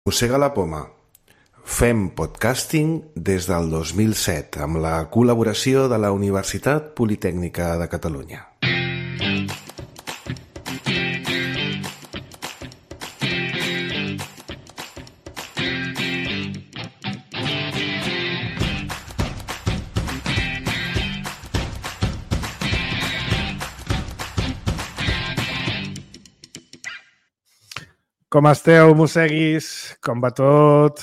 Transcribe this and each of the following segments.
Mossega la poma. Fem podcasting des del 2007 amb la col·laboració de la Universitat Politècnica de Catalunya. Com esteu, mosseguis? Com va tot?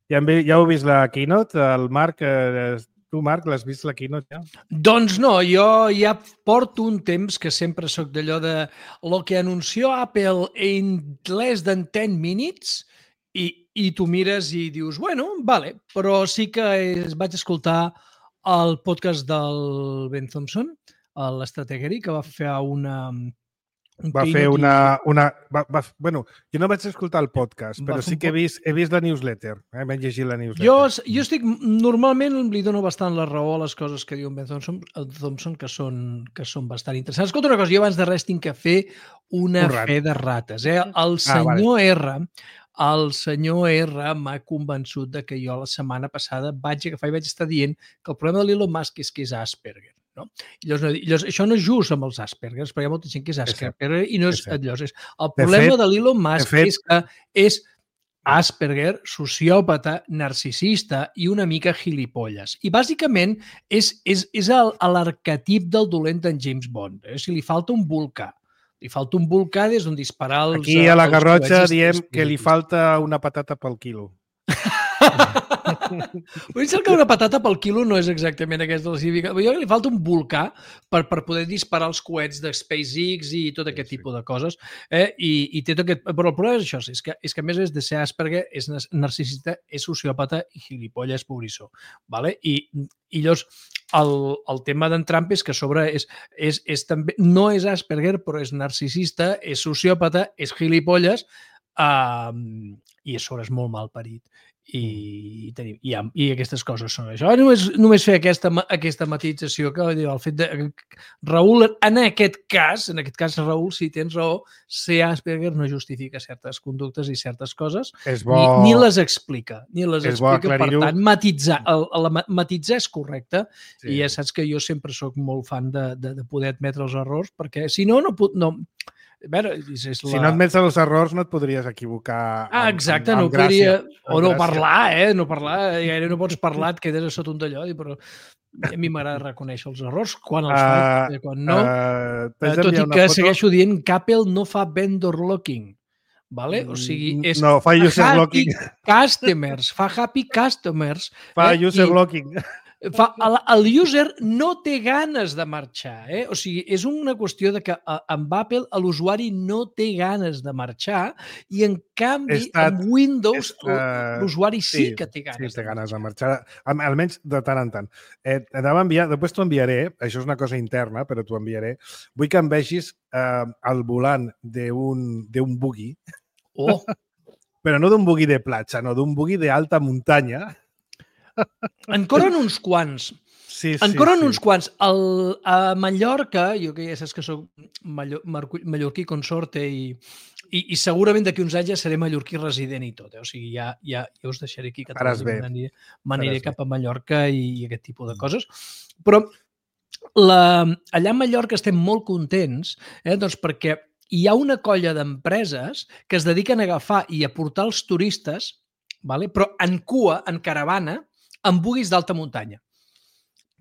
Ja heu vist la keynote? El Marc, tu, Marc, l'has vist la keynote ja? Doncs no, jo ja porto un temps que sempre sóc d'allò de lo que anunció Apple en less than 10 minutes i tu mires i dius, bueno, vale, però sí que vaig escoltar el podcast del Ben Thompson, l'Strategery, que va fer Va fer bueno, jo no vaig escoltar el podcast, però sí que he vist la newsletter. Vaig llegir la newsletter. Jo normalment li dono bastant la raó a les coses que diu Ben Thompson que són bastant interessants. Escolta una cosa, jo abans de res tinc que fer una fe de rates. El senyor R m'ha convençut de que jo la setmana passada vaig agafar i vaig estar dient que el problema de l'Elon Musk és que és Asperger. No? Llavors, això no és just amb els Aspergers, perquè hi ha molta gent que és Asperger i no és allò. El problema de l'Elon Musk és que és Asperger, sociòpata, narcisista i una mica gilipolles. I bàsicament és l'arquetip del dolent d'en James Bond. Si li falta un volcà. Li falta un volcà des d'on disparar els... Aquí a la Garrotxa diem que li falta una patata pel quilo. Vull dir que una patata pel quilo no és exactament aquesta la significació. Jo li falta un volcà per poder disparar els coets de SpaceX i tot aquest tipus de coses. I té tot aquest... Però el problema és això, és que a més de ser Asperger, és narcisista, és sociòpata i gilipolles pobrissó. Vale? I llavors el tema d'en Trump és que a sobre és també, no és Asperger, però és narcisista, és sociòpata, és gilipolles i a sobre és molt mal parit. I aquestes coses són això. Només fer aquesta matització que el fet de Raül, en aquest cas, Raül, si tens raó, ser Asperger no justifica certes conductes i certes coses, ni les explica. Per tant, matitzar és correcte i ja saps que jo sempre sóc molt fan de poder admetre els errors, perquè si no, no... Si no admets els errors no et podries equivocar exacte, no podria... O no parlar, no parlar. Gaire no pots parlar, et quedes a sota un d'allò, però a mi m'agrada reconèixer els errors quan els faig, quan no. Tot i que segueixo dient que Apple no fa vendor locking. Vale? O sigui, és no, fa user locking. Customers, fa happy customers. Fa user locking. El user no té ganes de marxar. O sigui, és una qüestió de que amb Apple l'usuari no té ganes de marxar i, en canvi, amb Windows l'usuari sí que té ganes. Sí, té ganes de marxar, almenys de tant en tant. Anava a enviar, després t'ho enviaré, això és una cosa interna, però t'ho enviaré. Vull que em vegis el volant d'un buggy, però no d'un buggy de platja, no, d'un buggy d'alta muntanya. En corren uns quants. Uns quants. A Mallorca, jo que ja saps que soc mallorquí consorte i segurament d'aquí uns anys ja seré mallorquí resident i tot. O sigui, ja us deixaré aquí que m'aniré cap a Mallorca i aquest tipus de coses. Però allà a Mallorca estem molt contents doncs perquè hi ha una colla d'empreses que es dediquen a agafar i a portar els turistes, però en cua, en caravana, amb buguis d'alta muntanya.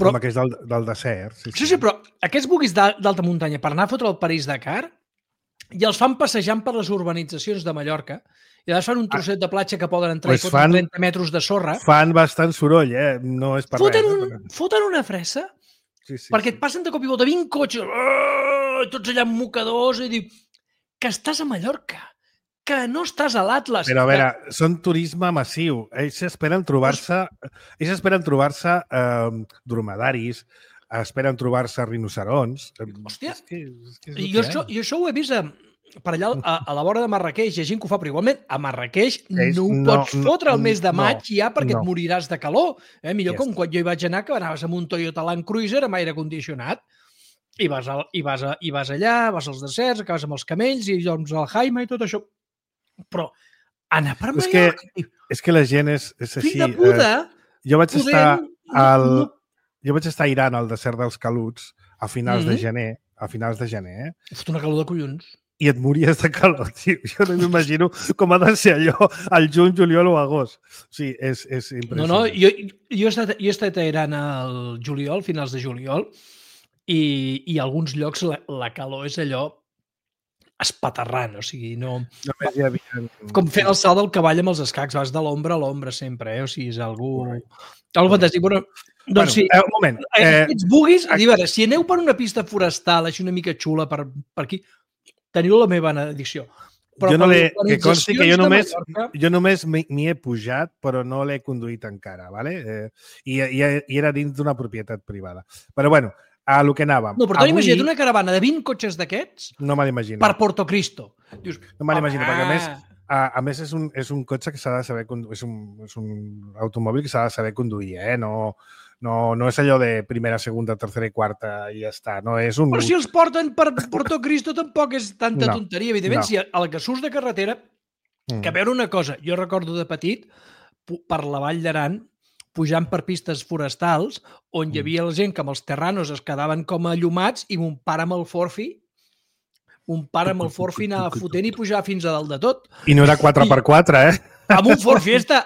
Com aquests del desert. Sí, però aquests buguis d'alta muntanya per anar a fotre el París-Dakar i els fan passejant per les urbanitzacions de Mallorca i llavors fan un trosset de platja que poden entrar i foten 30 metres de sorra. Fan bastant soroll, no és per res. Foten una fressa perquè et passen de cop i volta 20 cotxes, tots allà amb mocadors i diu que estàs a Mallorca, que no estàs a l'Atlas. Però a veure, són turisme massiu. Ells esperen trobar-se dromedaris, esperen trobar-se rinocerons. Hòstia, jo això ho he vist per allà a la vora de Marrakeix. Hi ha gent que ho fa, però igualment a Marrakeix no ho pots fotre el mes de maig ja perquè et moriràs de calor. Millor com quan jo hi vaig anar, que anaves amb un Toyota Land Cruiser amb aire condicionat. I vas allà, vas als deserts, acabes amb els camells i doncs al Jaime i tot això. Però Anar per Mallorca. És que la gent és així. Fill de puta! Jo vaig estar a Iran, al desert dels Caluts, a finals de gener. Fot una calor de collons. I et mories de calor, tio. Jo no m'imagino com ha de ser allò al juny, juliol o agost. O sigui, és impressionant. No, jo he estat a Iran al juliol, finals de juliol, i a alguns llocs la calor és allò espaterrant, o sigui, no... Només hi havia... Com fent el salt del cavall amb els escacs, vas de l'ombra a l'ombra sempre, o sigui, és algú fantàstic. Però, doncs sí, un moment. Aquests buguis, a veure, si aneu per una pista forestal així una mica xula per aquí, teniu la meva benedicció. Jo només m'hi he pujat, però no l'he conduït encara, ¿vale? I era dins d'una propietat privada. Però bueno, a lo que anàvem. No, però t'ho imagina't una caravana de 20 cotxes d'aquests per Porto Cristo. Dius, no me l'imagino, perquè a més és un cotxe que s'ha de saber conduir, és un automòbil que s'ha de saber conduir, no és allò de primera, segunda, tercera i quarta i ja està. No, és un... Però si els porten per Porto Cristo tampoc és tanta tonteria. Evidentment, si a la que surts de carretera, que a veure una cosa, jo recordo de petit, per la Vall d'Aran, pujant per pistes forestals, on hi havia la gent que amb els terranos es quedaven com allumats i mon pare amb el Forfi anava fotent i pujar fins a dalt de tot. I no era 4x4, Amb un Ford Fiesta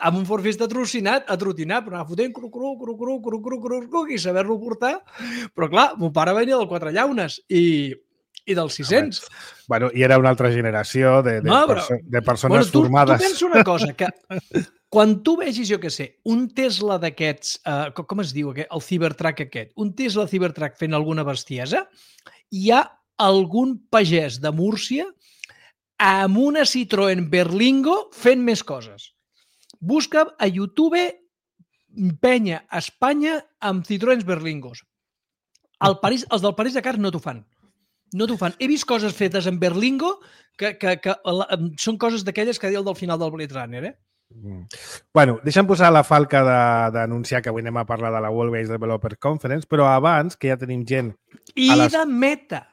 trocinat, atrotinat, però anava fotent i saber-lo portar. Però clar, mon pare venia del Quatre Llaunes i del 600. Bueno, i era una altra generació de persones formades. Tu pensa una cosa, que quan tu vegis, jo què sé, un Tesla d'aquests, com es diu, el Cybertruck aquest, un Tesla Cybertruck fent alguna bestiesa, hi ha algun pagès de Múrcia amb una Citroën Berlingo fent més coses. Busca a YouTube penya a Espanya amb Citroëns Berlingos. Els del París-Dakar no t'ho fan. No t'ho fan. He vist coses fetes en Berlingo que són coses d'aquelles que deia el del final del Blade Runner, Bueno, deixa'm posar la falca d'anunciar que avui anem a parlar de la World Games Developer Conference, però abans, que ja tenim gent... de Meta.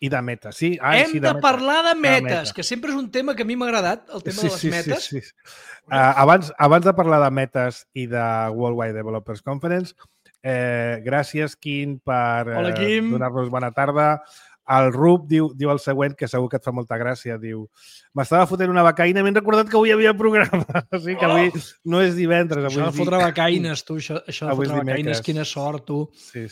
I de Meta, sí. Hem de parlar de metes, que sempre és un tema que a mi m'ha agradat, el tema de les metes. Sí. Abans de parlar de metes i de Worldwide Developers Conference, gràcies, Quim, per donar-nos bona tarda. El Rub diu el següent, que segur que et fa molta gràcia, diu: m'estava fotent una becaïna, m'he recordat que avui hi havia programa. O sigui que avui no és divendres. Això de fotre becaïnes, tu. Això de fotre becaïnes, quina sort, tu. Sí.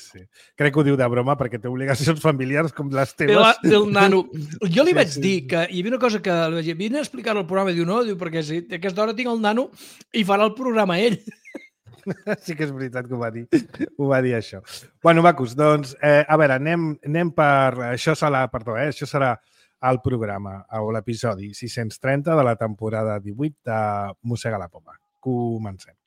Crec que ho diu de broma perquè té obligacions familiars com les teves. Del nano. Jo li vaig dir que hi havia una cosa que li vaig dir, vine a explicar-lo al programa, diu no, perquè a aquesta hora tinc el nano i farà el programa ell. Sí que és veritat que ho va dir això. Bueno, macos, doncs, a veure, anem per... Això serà el programa, o l'episodi 630 de la temporada 18 de Mossega la Poma. Comencem.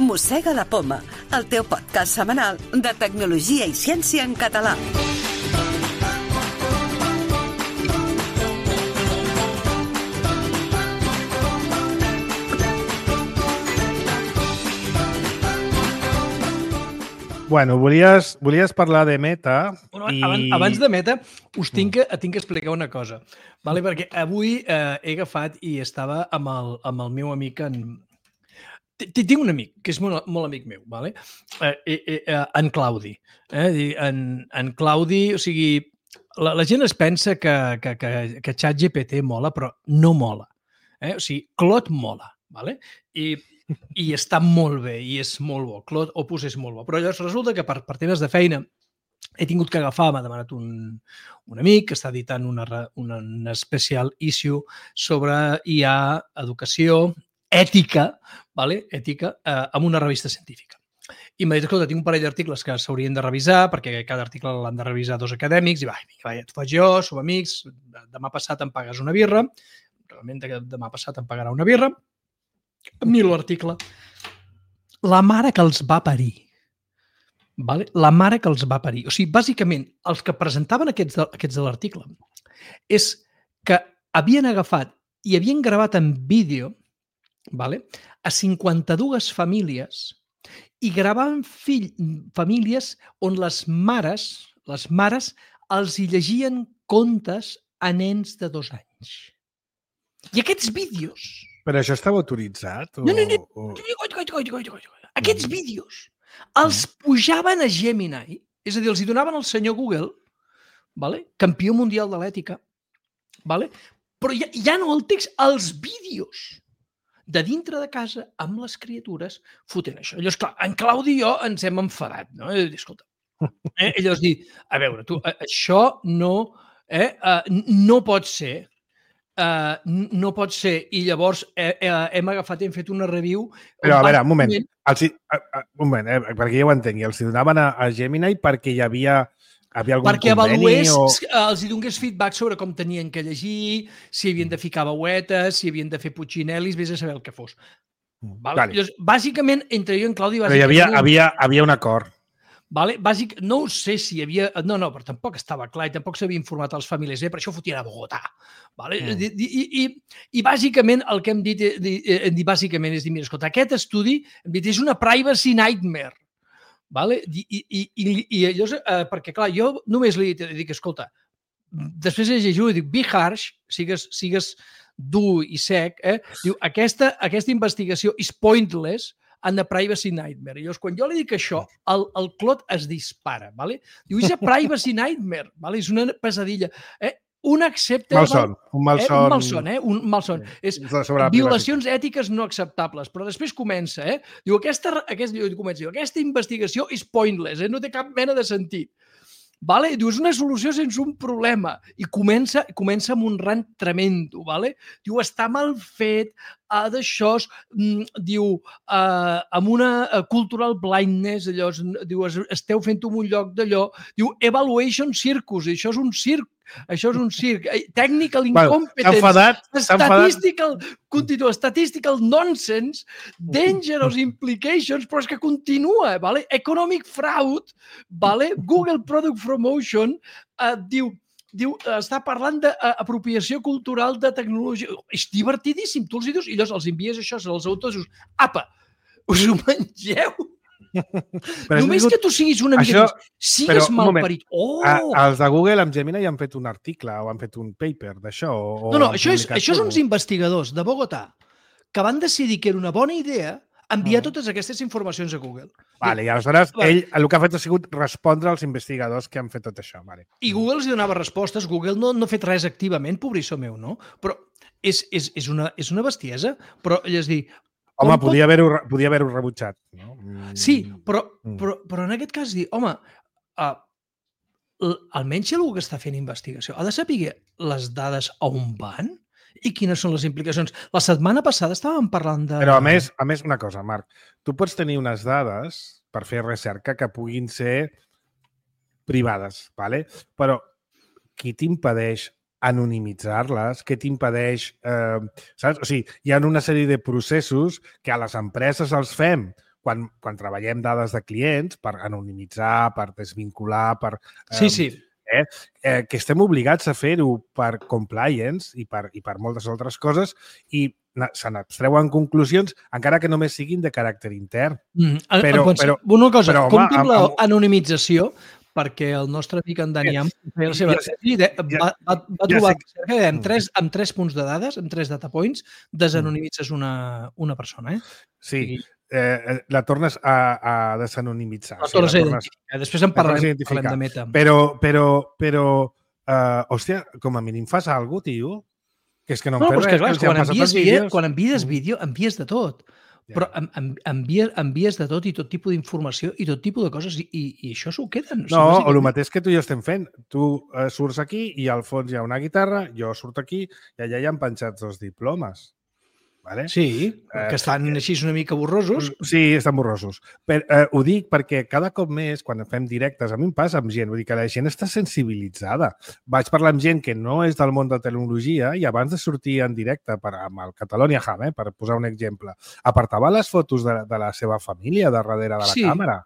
Mossega la Poma, el teu podcast setmanal de tecnologia i ciència en català. Bueno, volies parlar de Meta. Abans de Meta, us tinc que explicar una cosa, vale? Perquè avui he agafat i estava amb el meu amic Tinc un amic, que és molt amic meu, vale? En Claudi. En Claudi, o sigui, la gent es pensa que ChatGPT mola, però no mola. O sigui, Claude mola, vale? I està molt bé, i és molt bo. Claude Opus és molt bo. Però llavors resulta que per temes de feina he tingut que agafar, m'ha demanat un amic que està editant una special issue sobre IA, educació, ètica, amb una revista científica. I m'ha dit, escolta, tinc un parell d'articles que s'haurien de revisar, perquè cada article l'han de revisar 2 acadèmics, i va, t'ho faig jo, som amics, demà passat em pagues una birra, realment demà passat em pagarà una birra, miro l'article. La mare que els va parir. La mare que els va parir. O sigui, bàsicament, els que presentaven aquests de l'article és que havien agafat i havien gravat en vídeo vale? A 52 famílies i gravaven famílies on les mares els hi llegien contes a nens de 2 anys. I aquests vídeos... Però això estava autoritzat? No. Aquests vídeos els pujaven a Gemini, és a dir, els hi donaven al senyor Google, vale? Campió mundial de l'ètica, vale? Però ja no el text, els vídeos de dintre de casa amb les criatures fotent això. Llavors, clar, en Claudi i jo ens hem enfadat, no? Escolta, llavors dir, a veure, tu, això no pot ser. No pot ser. I llavors hem fet una review... Però, a veure, un moment. Perquè jo ho entenc. Els donaven a Gemini perquè hi havia algun perquè conveni els hi donés feedback sobre com tenien que llegir, si havien de ficar veuetes, si havien de fer puccinelis, vés a saber el que fos. Vale? Llavors, bàsicament, entre jo i en Claudi... Però hi havia un acord. Vale? No ho sé si hi havia... No, però tampoc estava clar i tampoc s'havia informat als famílies, però això ho fotien a Bogotà. Vale? I bàsicament el que hem dit bàsicament és dir, mira, escolta, aquest estudi és una privacy nightmare. Vale? I llavors, perquè clar, jo només li dic, escolta, després de llegir-ho i dic, be harsh, sigues dur i sec, diu, aquesta investigació és pointless and a privacy nightmare. I llavors, quan jo li dic això, el Clot es dispara. Vale? Diu, és a privacy nightmare. Vale? És una pesadilla. Un acceptable... Un malson. Un malson. És violacions ètiques no acceptables. Però després comença, diu, aquesta investigació és pointless, no té cap mena de sentit. Vale? Diu, és una solució sense un problema. I comença amb un rant tremendo. Vale? Diu, està mal fet, d'això, diu, amb una cultural blindness, allò, diu, esteu fent-ho en un lloc d'allò, diu, evaluation circus, això és un circ, technical incompetence, statistical nonsense, dangerous implications, però és que continua, vale? Economic fraud, vale? Google Product Promotion, diu, està parlant d'apropiació cultural de tecnologia. És divertidíssim. Tu els dius i llavors els envies això als autors i dius, apa, us ho mengeu? Només que tu siguis una mica... Sigues malparit. Els de Google amb Gemini han fet un article o han fet un paper d'això. No, això és uns investigadors de Bogotà que van decidir que era una bona idea enviar totes aquestes informacions a Google. Vale, i aleshores ell el que ha fet ha sigut respondre als investigadors que han fet tot això. Vale. I Google els donava respostes. Google no ha fet res activament, pobrissó meu, no? Però és una bestiesa. Però, és dir... Home, podia haver-ho rebutjat. No? Sí, però en aquest cas dir, home, almenys si algú que està fent investigació ha de saber les dades on van i quines són les implicacions. La setmana passada estàvem parlant de... Però a més una cosa, Marc, tu pots tenir unes dades per fer recerca que puguin ser privades, ¿vale? Però qui t'impedeix anonimitzar-les, què t'impedeix... saps? O sigui, hi ha una sèrie de processos que a les empreses els fem quan treballem dades de clients per anonimitzar, per desvincular, per... Sí. Que estem obligats a fer-ho per compliance i per moltes altres coses i se n'abstreuen conclusions encara que només siguin de caràcter intern. Una cosa, compti'm l'anonimització perquè el nostre amic en Daniel va trobar que amb 3 punts de dades, amb 3 data points, desanonimitzes una persona. Sí, la tornes a desanonimitzar. La tornes a identificar. Després en parlarem de meta. Però, hòstia, com a mínim fas alguna cosa, tio. Que és que no em fes res. Quan envies vídeo, envies de tot. Però envies de tot i tot tipus d'informació i tot tipus de coses i això s'ho queden. No, o el mateix que tu i jo estem fent. Tu surts aquí i al fons hi ha una guitarra, jo surto aquí i allà hi han penjats 2 diplomes. Vale? Sí, que estan així una mica borrosos. Sí, estan borrosos. Ho dic perquè cada cop més, quan fem directes, a mi em passa amb gent, vull dir que la gent està sensibilitzada. Vaig parlar amb gent que no és del món de tecnologia i abans de sortir en directe amb el Catalonia Ham, per posar un exemple, apartava les fotos de la seva família darrere de la càmera.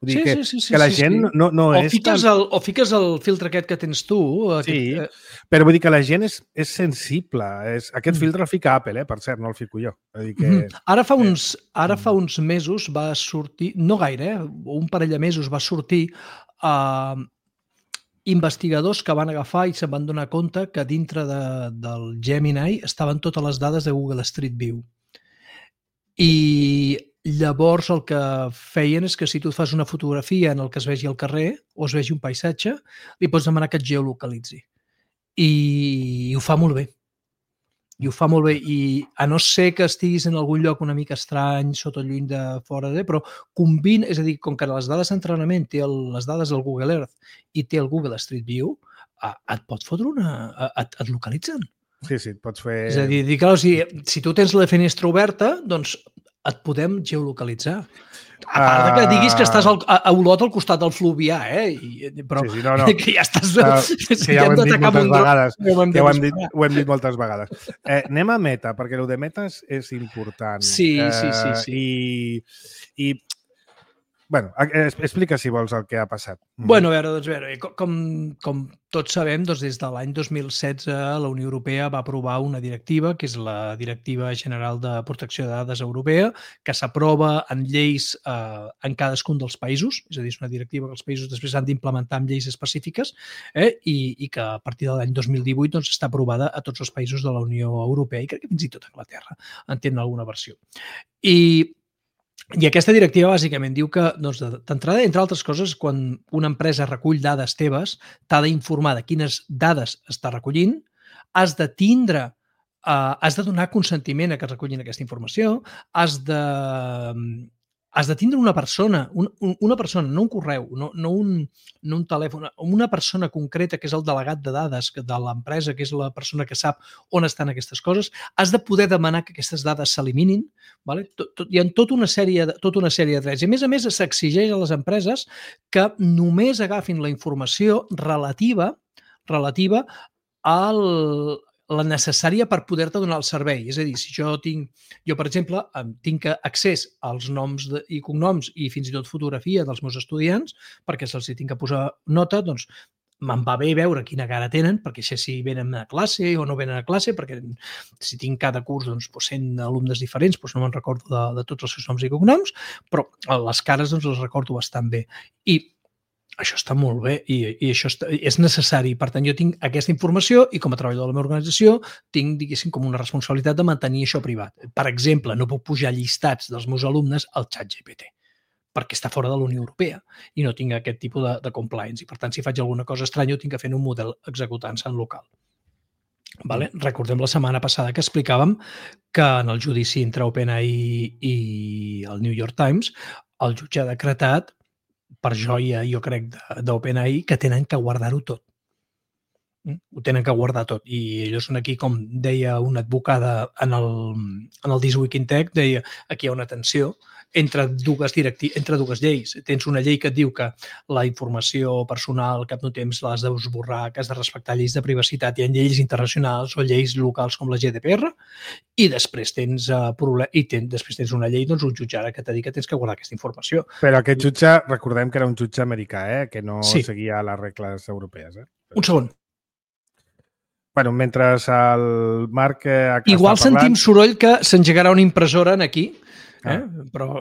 Vull dir que la gent no és tan... O fiques el filtre aquest que tens tu. Sí, però vull dir que la gent és sensible. Aquest filtre el fica Apple, per cert, no el fico jo. Vull dir que... Ara fa uns mesos va sortir, no gaire, un parell de mesos va sortir investigadors que van agafar i se'n van donar compte que dintre del Gemini estaven totes les dades de Google Street View. I llavors el que feien és que si tu et fas una fotografia en el que es vegi el carrer o es vegi un paisatge, li pots demanar que et geolocalitzi. I ho fa molt bé. I ho fa molt bé. I a no ser que estiguis en algun lloc una mica estrany, sota lluny de fora però combina, és a dir, com que les dades d'entrenament té les dades del Google Earth i té el Google Street View, et pot fotre et localitzen. Sí, et pots fer... És a dir, clar, si tu tens la finestra oberta, doncs et podem geolocalitzar. A part de que diguis que estàs a Olot al costat del Fluvià, però no. que ja estàs... Que ja ho hem dit moltes vegades. Ho hem dit moltes vegades. Anem a meta, perquè el de metes és important. Sí. I bueno, explica, si vols, el que ha passat. Bueno, a veure, com tots sabem, des de l'any 2016 la Unió Europea va aprovar una directiva, que és la Directiva General de Protecció de Dades Europea, que s'aprova en lleis en cadascun dels països, és a dir, és una directiva que els països després han d'implementar amb lleis específiques i que a partir de l'any 2018 doncs, està aprovada a tots els països de la Unió Europea i crec que fins i tot a Anglaterra en tenen alguna versió. I aquesta directiva bàsicament diu que, doncs, d'entrada, entre altres coses, quan una empresa recull dades teves, t'ha d'informar de quines dades està recollint, has de donar consentiment a que es recullin aquesta informació, has de tindre una persona, no un correu, no un telèfon, una persona concreta que és el delegat de dades de l'empresa, que és la persona que sap on estan aquestes coses, has de poder demanar que aquestes dades s'eliminin. Hi ha tota una sèrie de drets. I a més, s'exigeix a les empreses que només agafin la informació relativa la necessària per poder-te donar el servei. És a dir, si jo, per exemple, tinc accés als noms i cognoms i fins i tot fotografia dels meus estudiants, perquè se'ls tinc que posar nota, doncs me'n va bé veure quina cara tenen, perquè sé si venen a classe o no venen a classe, perquè si tinc cada curs 100 alumnes diferents, no me'n recordo de tots els seus noms i cognoms, però les cares les recordo bastant bé. I això està molt bé i això és necessari. Per tant, jo tinc aquesta informació i com a treballador de la meva organització tinc, diguéssim, com una responsabilitat de mantenir això privat. Per exemple, no puc pujar llistats dels meus alumnes al ChatGPT perquè està fora de la Unió Europea i no tinc aquest tipus de compliance. I, per tant, si faig alguna cosa estranya, ho tinc que fer en un model executant-se en local. Recordem la setmana passada que explicàvem que en el judici entre OpenAI i el New York Times el jutge ha decretat per joia, jo crec, d'OpenAI, que tenen que guardar-ho tot. Ho tenen que guardar tot. I ells són aquí, com deia una advocada en el This Week in Tech, deia, aquí hi ha una tensió entre dues lleis. Tens una llei que et diu que la informació personal cap no temps l'has d'esborrar, que has de respectar lleis de privacitat. Hi ha lleis internacionals o lleis locals com la GDPR i després tens una llei, doncs un jutge ara que t'ha dit que tens que guardar aquesta informació. Però aquest jutge, recordem que era un jutge americà, que no seguia les regles europees. Un segon. Bueno, mentre el Marc... Igual sentim soroll que s'engegarà una impressora aquí, però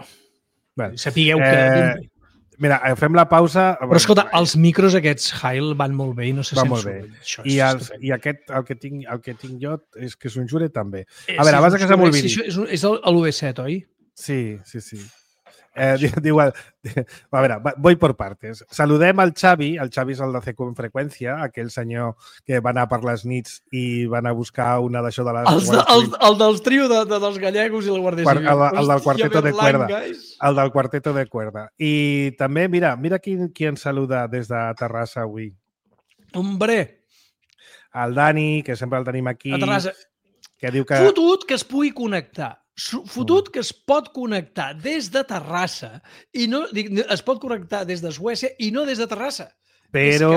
sapigueu que... Mira, fem la pausa... Però escolta, els micros aquests Heil van molt bé i no se sent soroll. I el que tinc jo és que s'unjure també. A veure, abans que se m'olvidi. És l'UV7, oi? Sí. Diu, a veure, voy por partes. Saludem al Xavi és el de CQ en freqüència, aquell senyor que va anar per les nits i va anar a buscar una d'això de les... El del trio dels gallegos i la Guàrdia Civil. El del quarteto de cuerda. El del quarteto de cuerda. I també, mira qui ens saluda des de Terrassa avui. Hombre! El Dani, que sempre el tenim aquí. A Terrassa. Que diu que... Fotut que es pugui connectar. Fotut que es pot connectar des de Terrassa i no, es pot connectar des de Suècia i no des de Terrassa. Però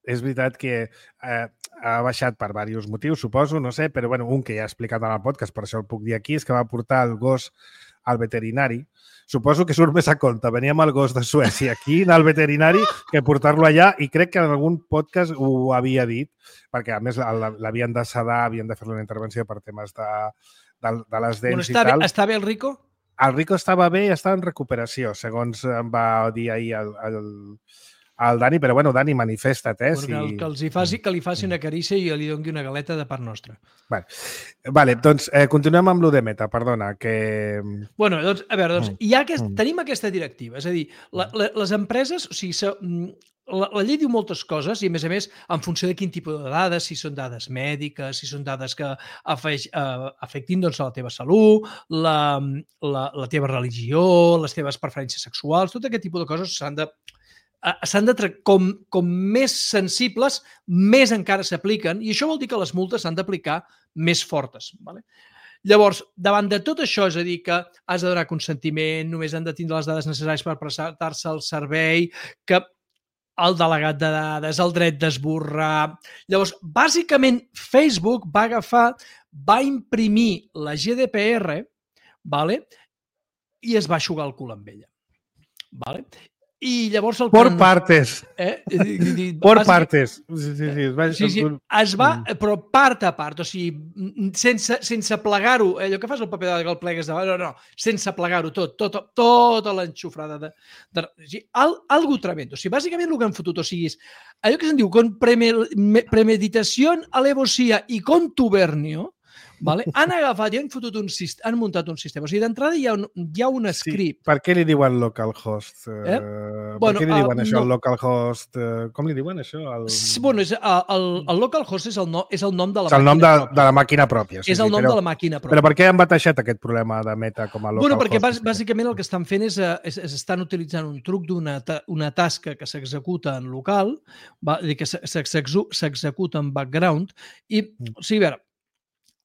és veritat que ha baixat per diversos motius, suposo, no sé, però un que ja he explicat en el podcast, per això el puc dir aquí, és que va portar el gos al veterinari. Suposo que surt més a compte venir amb el gos de Suècia aquí, anar al veterinari, que portar-lo allà, i crec que en algun podcast ho havia dit, perquè a més l'havien de sedar, havien de fer-li una intervenció per temes de les dents i tal. Està bé el Rico? El Rico estava bé i estava en recuperació, segons em va dir ahir el Dani, però bueno, Dani, manifesta't, Que li faci una carícia i li doni una galeta de part nostra. Vale, doncs continuem amb lo de Meta, perdona, que... Bueno, doncs, a veure, tenim aquesta directiva, és a dir, les empreses, o sigui, la llei diu moltes coses i, a més, en funció de quin tipus de dades, si són dades mèdiques, si són dades que afectin doncs, la teva salut, la teva religió, les teves preferències sexuals, tot aquest tipus de coses s'han de com més sensibles, més encara s'apliquen, i això vol dir que les multes s'han d'aplicar més fortes. Vale? Llavors, davant de tot això, és a dir, que has de donar consentiment, només han de tindre les dades necessàries per prestar-se al servei, que el delegat de dades, el dret d'esborrar... Llavors, bàsicament, Facebook va imprimir la GDPR, vale? I es va eixugar el cul amb ella. Vale? I llavors Por partes. Por partes. Sí. Es va, però part a part, o sigui, sense plegar-ho, allò que fas el paper que el plegues davant, no, sense plegar-ho tota l'enxufrada. Algo tremendo. O sigui, bàsicament el que han fotut, o sigui, allò que se'n diu con premeditación, alevosía i contubernio, vale? Han agafat i han muntat un sistema. O sigui, d'entrada hi ha un script. Per què li diuen localhost? Per què li diuen això, el localhost? Com li diuen això? Bueno, el localhost és el nom de la màquina pròpia. És el nom de la màquina pròpia. És el nom de la màquina pròpia. Però per què han batejat aquest problema de Meta com a localhost? Bueno, perquè bàsicament el que estan fent és estan utilitzant un truc d'una tasca que s'executa en local, que s'executa en background, i, o sigui, a veure,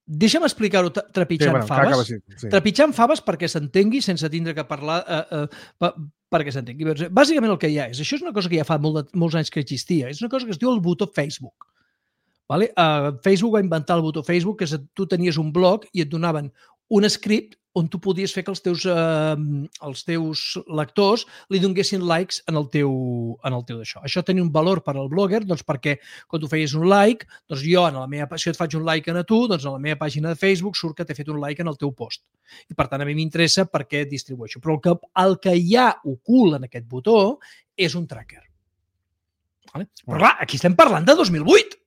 deixa'm explicar-ho trepitjant faves. Trepitjant faves perquè s'entengui sense tindre que parlar perquè s'entengui. Bàsicament el que hi ha és, això és una cosa que ja fa molts anys que existia, és una cosa que es diu el botó Facebook. Facebook va inventar el botó Facebook, que tu tenies un blog i et donaven un script on tu podies fer que els teus lectors li donguessin likes en el teu d'això. Això tenia un valor per al blogger, doncs perquè quan tu feies un like, doncs jo, si et faig un like a tu, doncs a la meva pàgina de Facebook surt que t'he fet un like en el teu post. I per tant, a mi m'interessa perquè distribueixo. Però el que hi ha ocult en aquest botó és un tracker. Però clar, aquí estem parlant de 2008.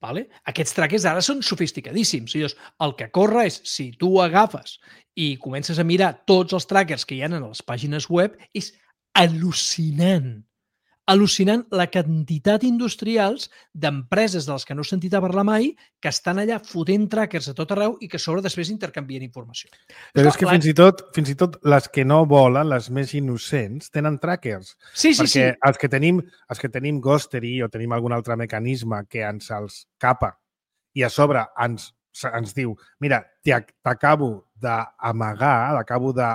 Aquests trackers ara són sofisticadíssims. El que corre és, si tu agafes i comences a mirar tots els trackers que hi ha en les pàgines web, és al·lucinant. Al·lucinant la quantitat industrials d'empreses de les que no he sentit a parlar mai que estan allà fotent trackers a tot arreu i que a sobre després intercanvien informació. Però és que fins i tot les que no volen, les més innocents, tenen trackers. Sí. Perquè els que tenim Ghostery o tenim algun altre mecanisme que ens els capa i a sobre ens diu, mira, t'acabo d'amagar, t'acabo de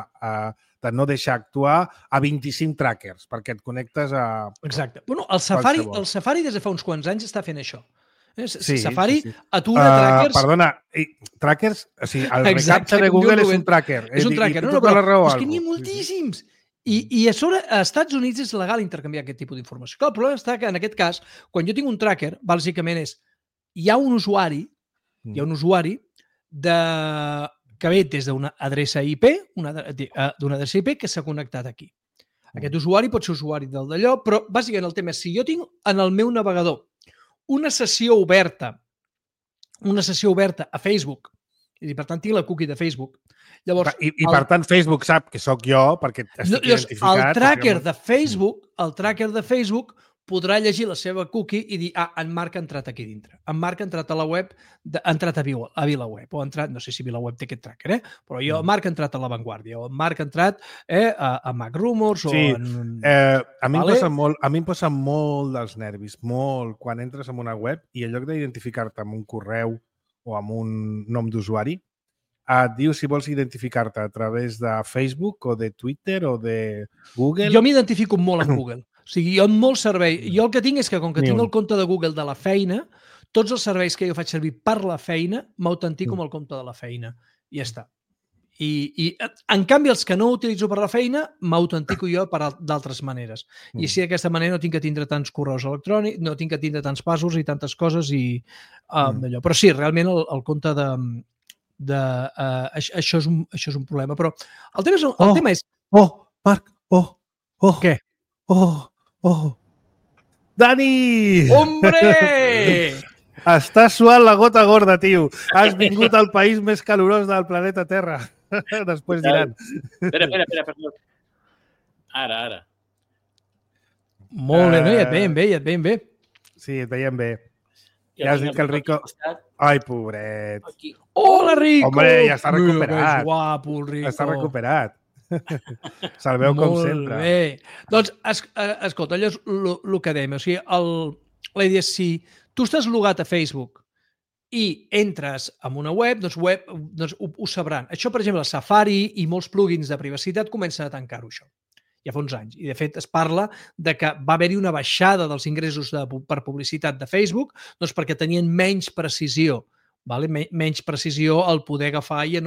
no deixar actuar a 25 trackers, perquè et connectes a... Exacte. Bueno, el Safari des de fa uns quants anys està fent això. Safari atura trackers... Perdona, trackers? O sigui, el recaptcha de Google és un tracker. És un tracker. No, però és que n'hi ha moltíssims. I a sobre, als Estats Units és legal intercanviar aquest tipus d'informació. El problema està que, en aquest cas, quan jo tinc un tracker, bàsicament és, hi ha un usuari que ve des d'una adreça IP, que s'ha connectat aquí. Aquest usuari pot ser usuari del d'allò, però bàsicament el tema és, si jo tinc en el meu navegador una sessió oberta a Facebook, i per tant tinc la cookie de Facebook, llavors... I per tant Facebook sap que sóc jo, perquè estic identificat... El tracker de Facebook podrà llegir la seva cookie i dir, en Marc ha entrat aquí dintre. En Marc ha entrat a la web, ha entrat a VilaWeb, o ha entrat, no sé si VilaWeb té aquest tracker, però jo, Marc ha entrat a La Vanguardia, o Marc ha entrat a MacRumors, o en... A mi em posa molt dels nervis, molt, quan entres en una web i en lloc d'identificar-te amb un correu o amb un nom d'usuari, et diu si vols identificar-te a través de Facebook o de Twitter o de Google. Jo m'identifico molt amb Google. O sigui, jo amb molt servei. Jo el que tinc és que, com que tinc el compte de Google de la feina, tots els serveis que jo faig servir per la feina m'autentico amb el compte de la feina. I ja està. I en canvi, els que no utilitzo per la feina, m'autentico jo d'altres maneres. I així d'aquesta manera no tinc que tindre tants correus electrònics, no tinc que tindre tants passos i tantes coses i d'allò. Però sí, realment el compte això és un problema. Però el tema és... Marc! Què? Dani! Hombre! Estàs suant la gota gorda, tio. Has vingut al país més calorós del planeta Terra. Després diran. Espera, perdó. Ara. Molt bé, no? Ja et veiem bé. Sí, et veiem bé. Ja has dit que el Rico... Ai, pobret. Hola, Rico! Hombre, ja està recuperat. Que guapo, el Rico. Està recuperat. Se'l veu com sempre. Molt bé. Doncs, escolta, allò és el que dèiem. O sigui, la idea és si tu estàs logat a Facebook i entres en una web, doncs ho sabran. Això, per exemple, el Safari i molts plugins de privacitat comencen a tancar-ho, això. Ja fa uns anys. I, de fet, es parla de que va haver-hi una baixada dels ingressos per publicitat de Facebook doncs perquè tenien menys precisió, menys precisió al poder agafar i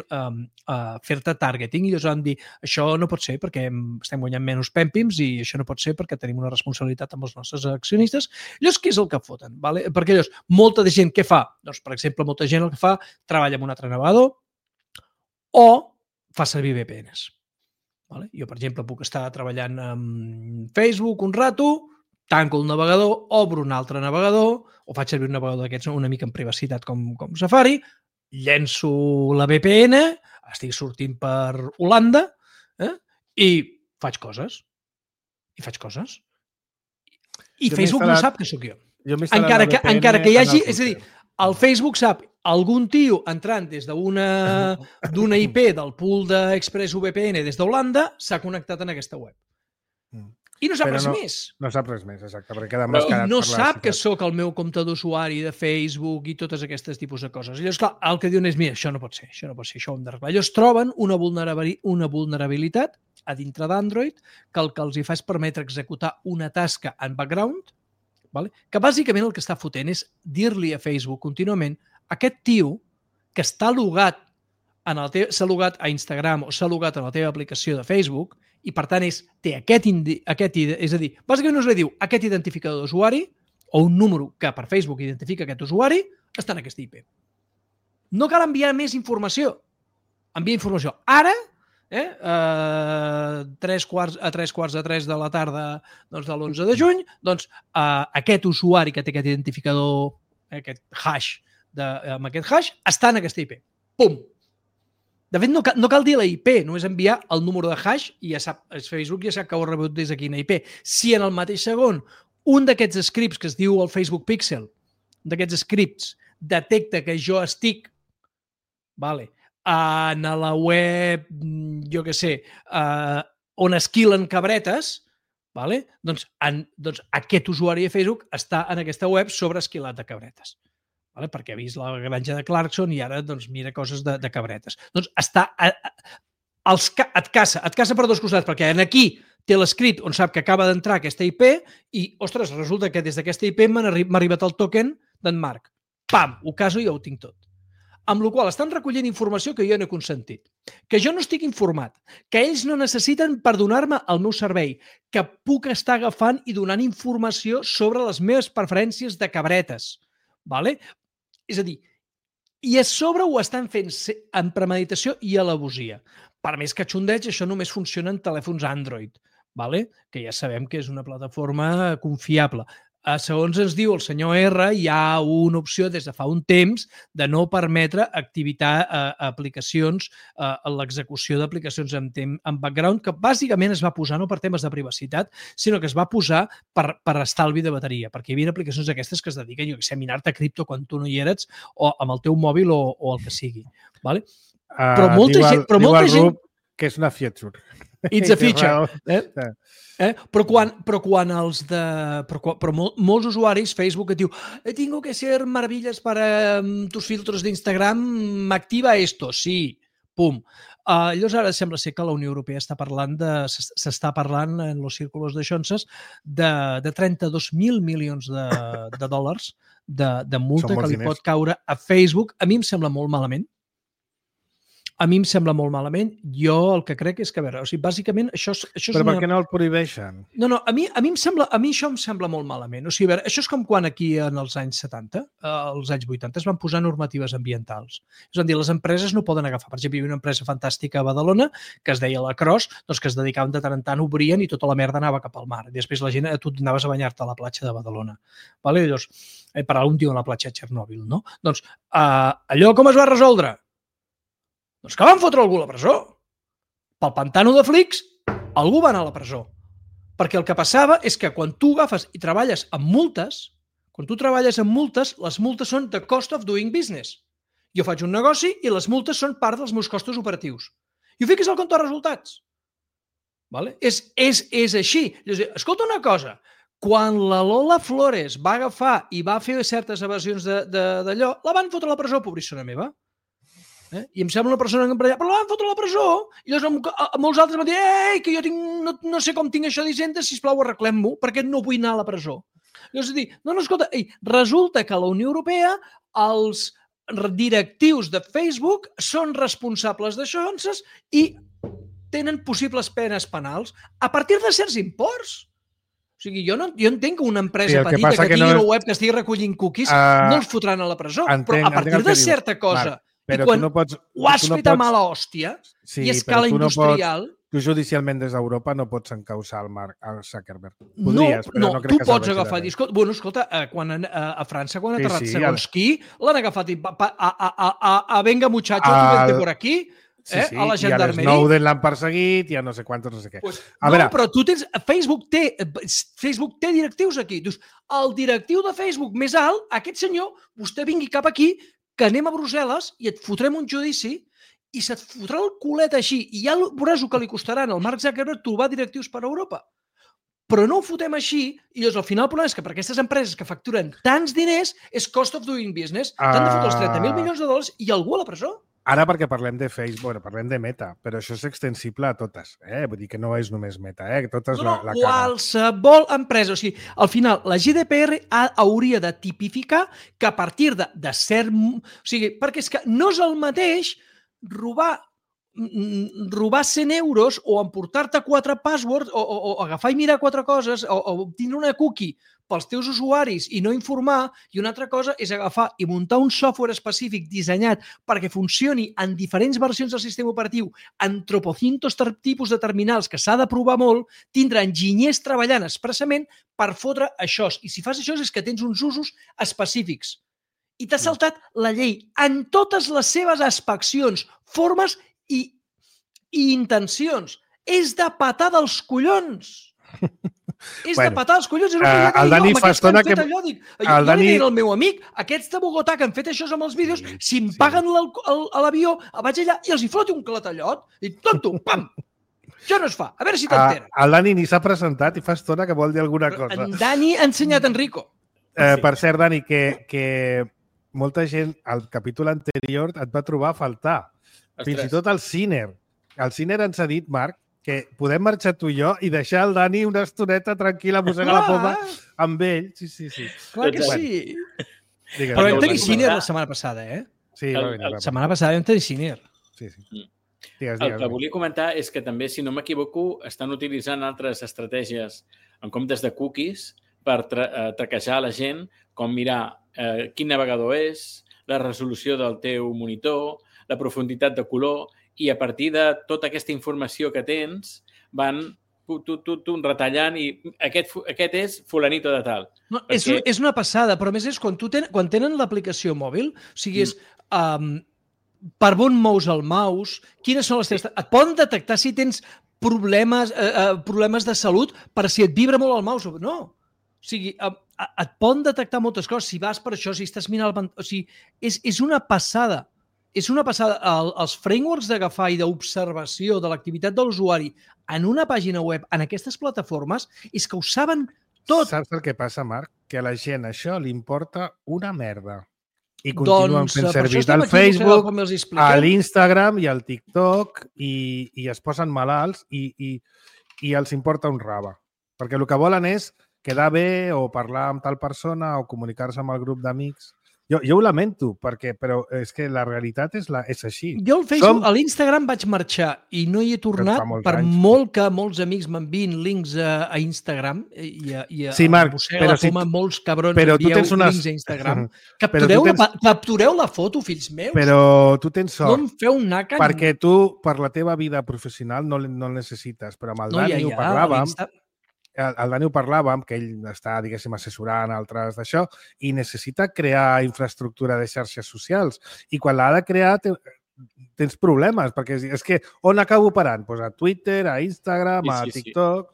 fer-te targeting. I llavors van dir, això no pot ser perquè estem guanyant menys pèmpims i això no pot ser perquè tenim una responsabilitat amb els nostres accionistes. Llavors, què és el que foten? Perquè llavors, molta de gent què fa? Doncs, per exemple, molta gent el que fa treballa amb un altre navegador o fa servir VPNs. Jo, per exemple, puc estar treballant amb Facebook un rato, tanco el navegador, obro un altre navegador, o faig servir un navegador d'aquests una mica en privacitat com Safari, llenço la VPN, estic sortint per Holanda i faig coses. I Facebook no sap que sóc jo. Encara que hi hagi... És a dir, el Facebook sap algun tio entrant des d'una IP del pool d'ExpressVPN des d'Holanda s'ha connectat en aquesta web. I no sap res més. No sap res més, exacte. Perquè queda mascarat. No sap que sóc el meu compte d'usuari de Facebook i totes aquestes tipus de coses. Llavors, clar, el que diuen és, mira, això no pot ser, això ho hem d'arreglar. Llavors troben una vulnerabilitat a dintre d'Android que el que els hi fa és permetre executar una tasca en background, que bàsicament el que està fotent és dir-li a Facebook contínuament aquest tio que està logat s'ha logat a Instagram o s'ha logat a la teva aplicació de Facebook i, per tant, té és a dir, bàsicament no es li diu aquest identificador d'usuari o un número que per Facebook identifica aquest usuari està en aquesta IP. No cal enviar més informació. Envia informació. Ara, a 3:45 de la tarda de l'11 de juny, doncs aquest usuari que té aquest identificador, aquest hash, amb aquest hash, està en aquesta IP. Pum! De fet, no cal dir la IP, només enviar el número de hash i ja sap, Facebook ja sap que ho ha rebut des de quina IP. Si en el mateix segon un d'aquests scripts que es diu el Facebook Pixel, d'aquests scripts, detecta que jo estic en la web, jo què sé, on esquilen cabretes, doncs aquest usuari de Facebook està en aquesta web sobre esquilat de cabretes. Perquè ha vist la granja de Clarkson i ara mira coses de cabretes. Doncs et caça per dos costats, perquè aquí té l'escrit on sap que acaba d'entrar aquesta IP i, ostres, resulta que des d'aquesta IP m'ha arribat el token d'en Marc. Pam! Ho caso i ja ho tinc tot. Amb la qual cosa estan recollint informació que jo no he consentit, que jo no estic informat, que ells no necessiten per donar-me el meu servei, que puc estar agafant i donant informació sobre les meves preferències de cabretes. És a dir, i a sobre ho estan fent en premeditació i alevosia. Per més que xondeig, això només funciona en telèfons Android, que ja sabem que és una plataforma confiable. Segons ens diu el senyor R, hi ha una opció des de fa un temps de no permetre activitar aplicacions, l'execució d'aplicacions en background, que bàsicament es va posar no per temes de privacitat, sinó que es va posar per estalvi de bateria, perquè hi havia aplicacions d'aquestes que es dediquen, jo què sé, a minar-te cripto quan tu no hi eres, o amb el teu mòbil o el que sigui. Però molta gent... Diu el Rup que és una feature. It's a feature. Però molts usuaris, Facebook, et diu tengo que ser maravillas para tus filtros d'Instagram, activa esto. Sí, pum. Llavors ara sembla ser que la Unió Europea s'està parlant en els círculos de xonses de 32.000 milions de dòlars de multa que li pot caure a Facebook. A mi em sembla molt malament. A mi em sembla molt malament. Jo el que crec és que, a veure, o sigui, bàsicament això és Però una... per què no el prohibeixen? No, a mi això em sembla molt malament. O sigui, a veure, això és com quan aquí en els anys 70, als anys 80, es van posar normatives ambientals. És a dir, les empreses no poden agafar. Per exemple, hi havia una empresa fantàstica a Badalona que es deia la Cros, doncs que es dedicaven de tant en tant, obrien i tota la merda anava cap al mar. I després la gent, tu anaves a banyar-te a la platja de Badalona. Vale? I llavors, per algun dia a la platja de Txernòbil, no? Doncs allò com es va resoldre? Doncs que van fotre algú a la presó. Pel pantano de Flix, algú va anar a la presó. Perquè el que passava és que quan tu agafes i treballes amb multes, les multes són the cost of doing business. Jo faig un negoci i les multes són part dels meus costos operatius. I ho fiques al compte de resultats. Vale? És així. Escolta una cosa, quan la Lola Flores va agafar i va fer certes evasions d'allò, la van fotre a la presó, pobrissona meva. I em sembla una persona emprenyada, però la van fotre a la presó. I llavors molts altres van dir, ei, que jo no sé com tinc això d'Hisenda, sisplau, arreglem-m'ho, perquè no vull anar a la presó. Llavors, no, escolta, resulta que a la Unió Europea els directius de Facebook són responsables d'això i tenen possibles penes penals a partir de certs imports. O sigui, jo entenc que una empresa petita que tingui una web que estigui recollint cookies no els fotran a la presó, però a partir de certa cosa... Però I quan ho has fet a mala hòstia i a escala industrial... Tu judicialment des d'Europa no pots encausar el Mark Zuckerberg. Podries, però no crec que serveixi. Tu pots agafar... Bueno, escolta, a França, quan ha aterrat segons qui, l'han agafat i... Venga, muchacho, tu vente por aquí, a la gendarmeria. I a Snowden l'han perseguit i a no sé quantos, no sé què. No, però tu tens... Facebook té directius aquí. Dius, el directiu de Facebook més alt, aquest senyor, vostè vingui cap aquí, que anem a Brussel·les i et fotrem un judici i se't fotrà el culet així i ja veuràs el que li costaran al Mark Zuckerberg trobar directius per a Europa. Però no ho fotem així i llavors al final el problema és que per aquestes empreses que facturen tants diners és cost of doing business. T'han de fotre els 30.000 milions de dòlars i algú a la presó. Ara perquè parlem de Facebook, parlem de Meta, però això és extensible a totes. Vull dir que no és només Meta, totes la cara. Qualsevol empresa. O sigui, al final, la GDPR hauria de tipificar que a partir de cert... O sigui, perquè és que no és el mateix robar 100 euros o emportar-te 4 passwords o agafar i mirar 4 coses o tindre una cookie pels teus usuaris i no informar, i una altra cosa és agafar i muntar un software específic dissenyat perquè funcioni en diferents versions del sistema operatiu, en tropocientos tipus de terminals que s'ha de provar molt, tindre enginyers treballant expressament per fotre això. I si fas això és que tens uns usos específics. I t'has saltat la llei en totes les seves aspeccions, formes i intencions. És de patar dels collons. És de patar els collons. El Dani fa estona que... Jo li deia al meu amic, aquests de Bogotà que han fet això amb els vídeos, si em paguen l'avió, vaig allà i els hi floti un clatallot i tonto, pam! Això no es fa. A veure si t'entera. El Dani ni s'ha presentat i fa estona que vol dir alguna cosa. En Dani ha ensenyat Enrico. Per cert, Dani, que molta gent al capítol anterior et va trobar a faltar. Fins i tot el Ciner. El Ciner ens ha dit, Marc, que podem marxar tu i jo i deixar el Dani una estoneta tranquil·la, mossegar la poma amb ell. Sí. Clar que sí. Però vam tenir Ciner la setmana passada, Sí, la setmana passada vam tenir Ciner. Sí. El que volia comentar és que també, si no m'equivoco, estan utilitzant altres estratègies en comptes de cookies per traquejar la gent, com mirar quin navegador és, la resolució del teu monitor, la profunditat de color, i a partir de tota aquesta informació que tens van retallant i aquest és fulanito de tal. No, és una passada, però a més és quan tenen l'aplicació mòbil, o sigui, és per on mous el mouse, quines són les teves... Et poden detectar si tens problemes de salut per si et vibra molt el mouse o no. O sigui, et poden detectar moltes coses, si vas per això, si estàs mirant el... O sigui, és una passada. És una passada. Els frameworks d'agafar i d'observació de l'activitat de l'usuari en una pàgina web, en aquestes plataformes, és que ho saben tot. Saps el que passa, Marc? Que a la gent això li importa una merda. I continuen fent servir el Facebook, l'Instagram i el TikTok i es posen malalts i els importa un rave. Perquè el que volen és quedar bé o parlar amb tal persona o comunicar-se amb el grup d'amics Jo ho lamento, però és que la realitat és així. Jo al Facebook, a l'Instagram vaig marxar i no hi he tornat molt que molts amics m'enviïn links a Instagram i Marc, però molts cabrons envieu links a Instagram. Captureu la foto, fills meus. Però tu tens sort. No em feu naca. Perquè tu, per la teva vida professional, no el necessites. Però amb el Dani ho parlàvem. El Dani ho parlàvem, que ell està, diguéssim, assessorant altres d'això, i necessita crear infraestructura de xarxes socials. I quan l'ha de crear tens problemes, perquè és que on acabo parant? Pues a Twitter, a Instagram, a TikTok...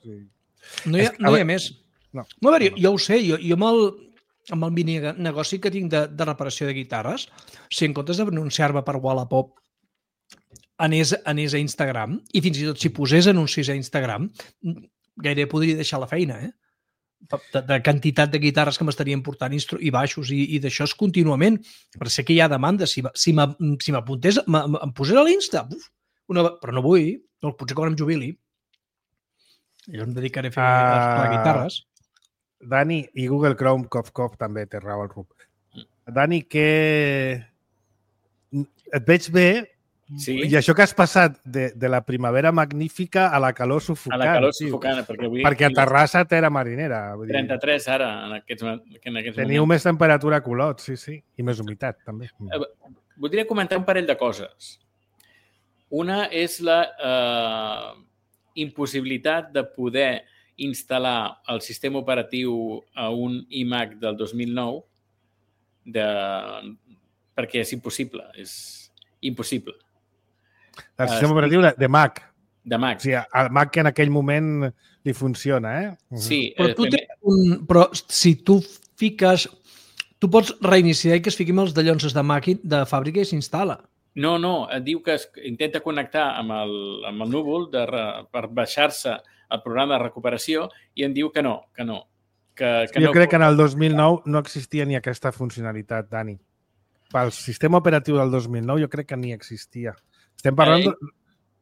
No hi ha més. No, a veure, jo ho sé, jo amb el mini negoci que tinc de reparació de guitarres, si en comptes de denunciar-me per Wallapop anés a Instagram, i fins i tot si posés anuncis a Instagram, gairebé podria deixar la feina, de quantitat de guitarres que m'estarien portant i baixos i d'això és contínuament. Per sé que hi ha demanda. Si m'apuntés, em posés a l'Insta, però no vull, potser quan em jubili. Jo em dedicaré a fer guitarres. Dani, i Google Chrome, cof, també té raó el Rup. Dani, et veig bé. Sí. I això que has passat de la primavera magnífica a la calor sufocant. A la calor sufocant, perquè a Terrassa terra marinera. 33 ara, en aquests moments. Teniu més temperatura a Colot, sí, i més humitat, també. Voldria comentar un parell de coses. Una és la impossibilitat de poder instal·lar el sistema operatiu a un iMac del 2009 perquè és impossible, és impossible. El sistema operatiu de Mac. De Mac. O sigui, el Mac que en aquell moment li funciona, Sí. Però si tu fiques... Tu pots reiniciar i que es fiquin els dallonses de fàbrica i s'instal·la. No, et diu que intenta connectar amb el núvol per baixar-se el programa de recuperació i em diu que no. Jo crec que en el 2009 no existia ni aquesta funcionalitat, Dani. Pel sistema operatiu del 2009 jo crec que ni existia. Estem parlant